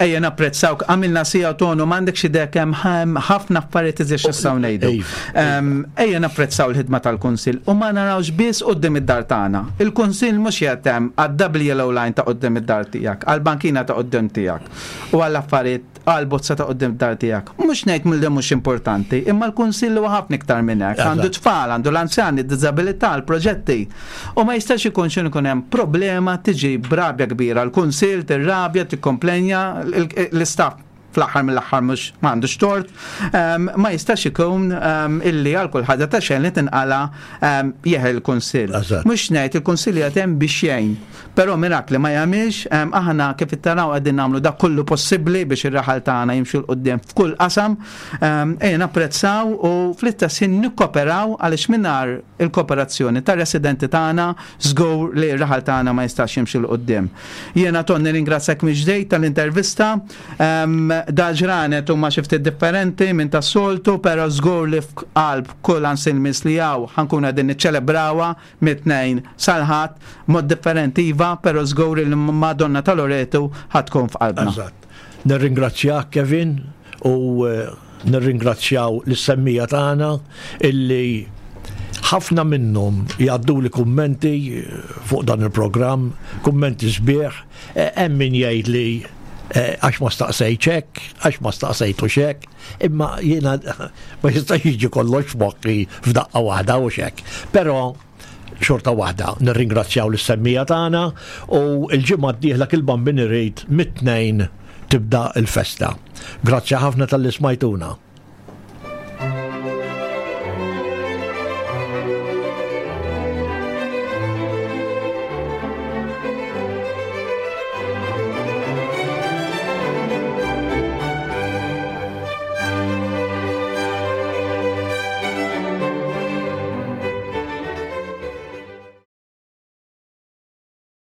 Ejja napprezzawk, għamilna sija tonu m'għandek xi dek hemm ħafna affarijiet iżjed x'nistgħu ngħidu. Iva. Ejja napprezzaw l-ħidma tal-Kunsill u ma narawx biss quddiem id-dar tagħna. Il-Kunsill mhux qiegħed hemm għad-double yellow line ta' quddiem id-dar tiegħek, għall-bankina ta' quddiem tiegħek u għall-affarijiet. Għal bozza ta' quddiem dar tiegħek. Mhux ngħid mill mhux importanti, imma l-kunsill huwa ħafna iktar minn hekk. Għandu tfal, għandu l-anzjani, d-diżabilità, l-proġetti. U ma jistax ikun xi ikun hemm problema tiġi b'rabja kbira. L-kunsill tirrabja, tikkomplenja, l-istaff fl-aħħar mill-aħħar mhux m'għandux tort, ma jistax ikun illi għal kull ħaġa ta' xejn li tinqala jeħel il-kunsill. Mhux ngħid il-kunsill qiegħed hemm biex jgħin. Però mirakli ma jagħmilx, aħna kif taraw qegħdin nagħmlu dak kollu possibbli biex ir-raħal tagħna jimxu 'l quddiem f'kull qasam. Ejja napprezzaw u fl-istess ħin nikkoperaw għaliex mingħajr il-kooperazzjoni tar-residenti tagħna żgur li r-raħal tagħna ma jistax jimxi 'l quddiem. Jiena Ton nirringrazzjak mill-ġdid tal-intervista. Dal-ġranet huma xi ftit differenti minn tas-soltu, però żgur li f'qalb kull ansilmis li hawn ħa nkunu qegħdin niċċelebrawha mit-Tnejn sal-Ħadd, mod differenti iva, però żgur li l-Madonna ta' Loreto ħa tkun f'qalbna. Eżatt. Nirringrazzjak Kevin u nirringrazzjaw lis-semmiegħa tagħna illi ħafna minnhom jgħadduli kummenti fuq dan il-programm, kummenti sbieħ, hemm min jgħidli għax ma staqsejtx hekk, għax ma staqsejtux hekk. Imma jiena ma jistax jiġi kollox f'moħħi f'daqqa waħda u xek. Però xorta waħda nirringrazzjaw lis-semmija tagħna u l-ġimgħa d-dieħla kil-Bambin irid mit-tnejn tibda l-festa. Grazzi ħafna talli smajtuna.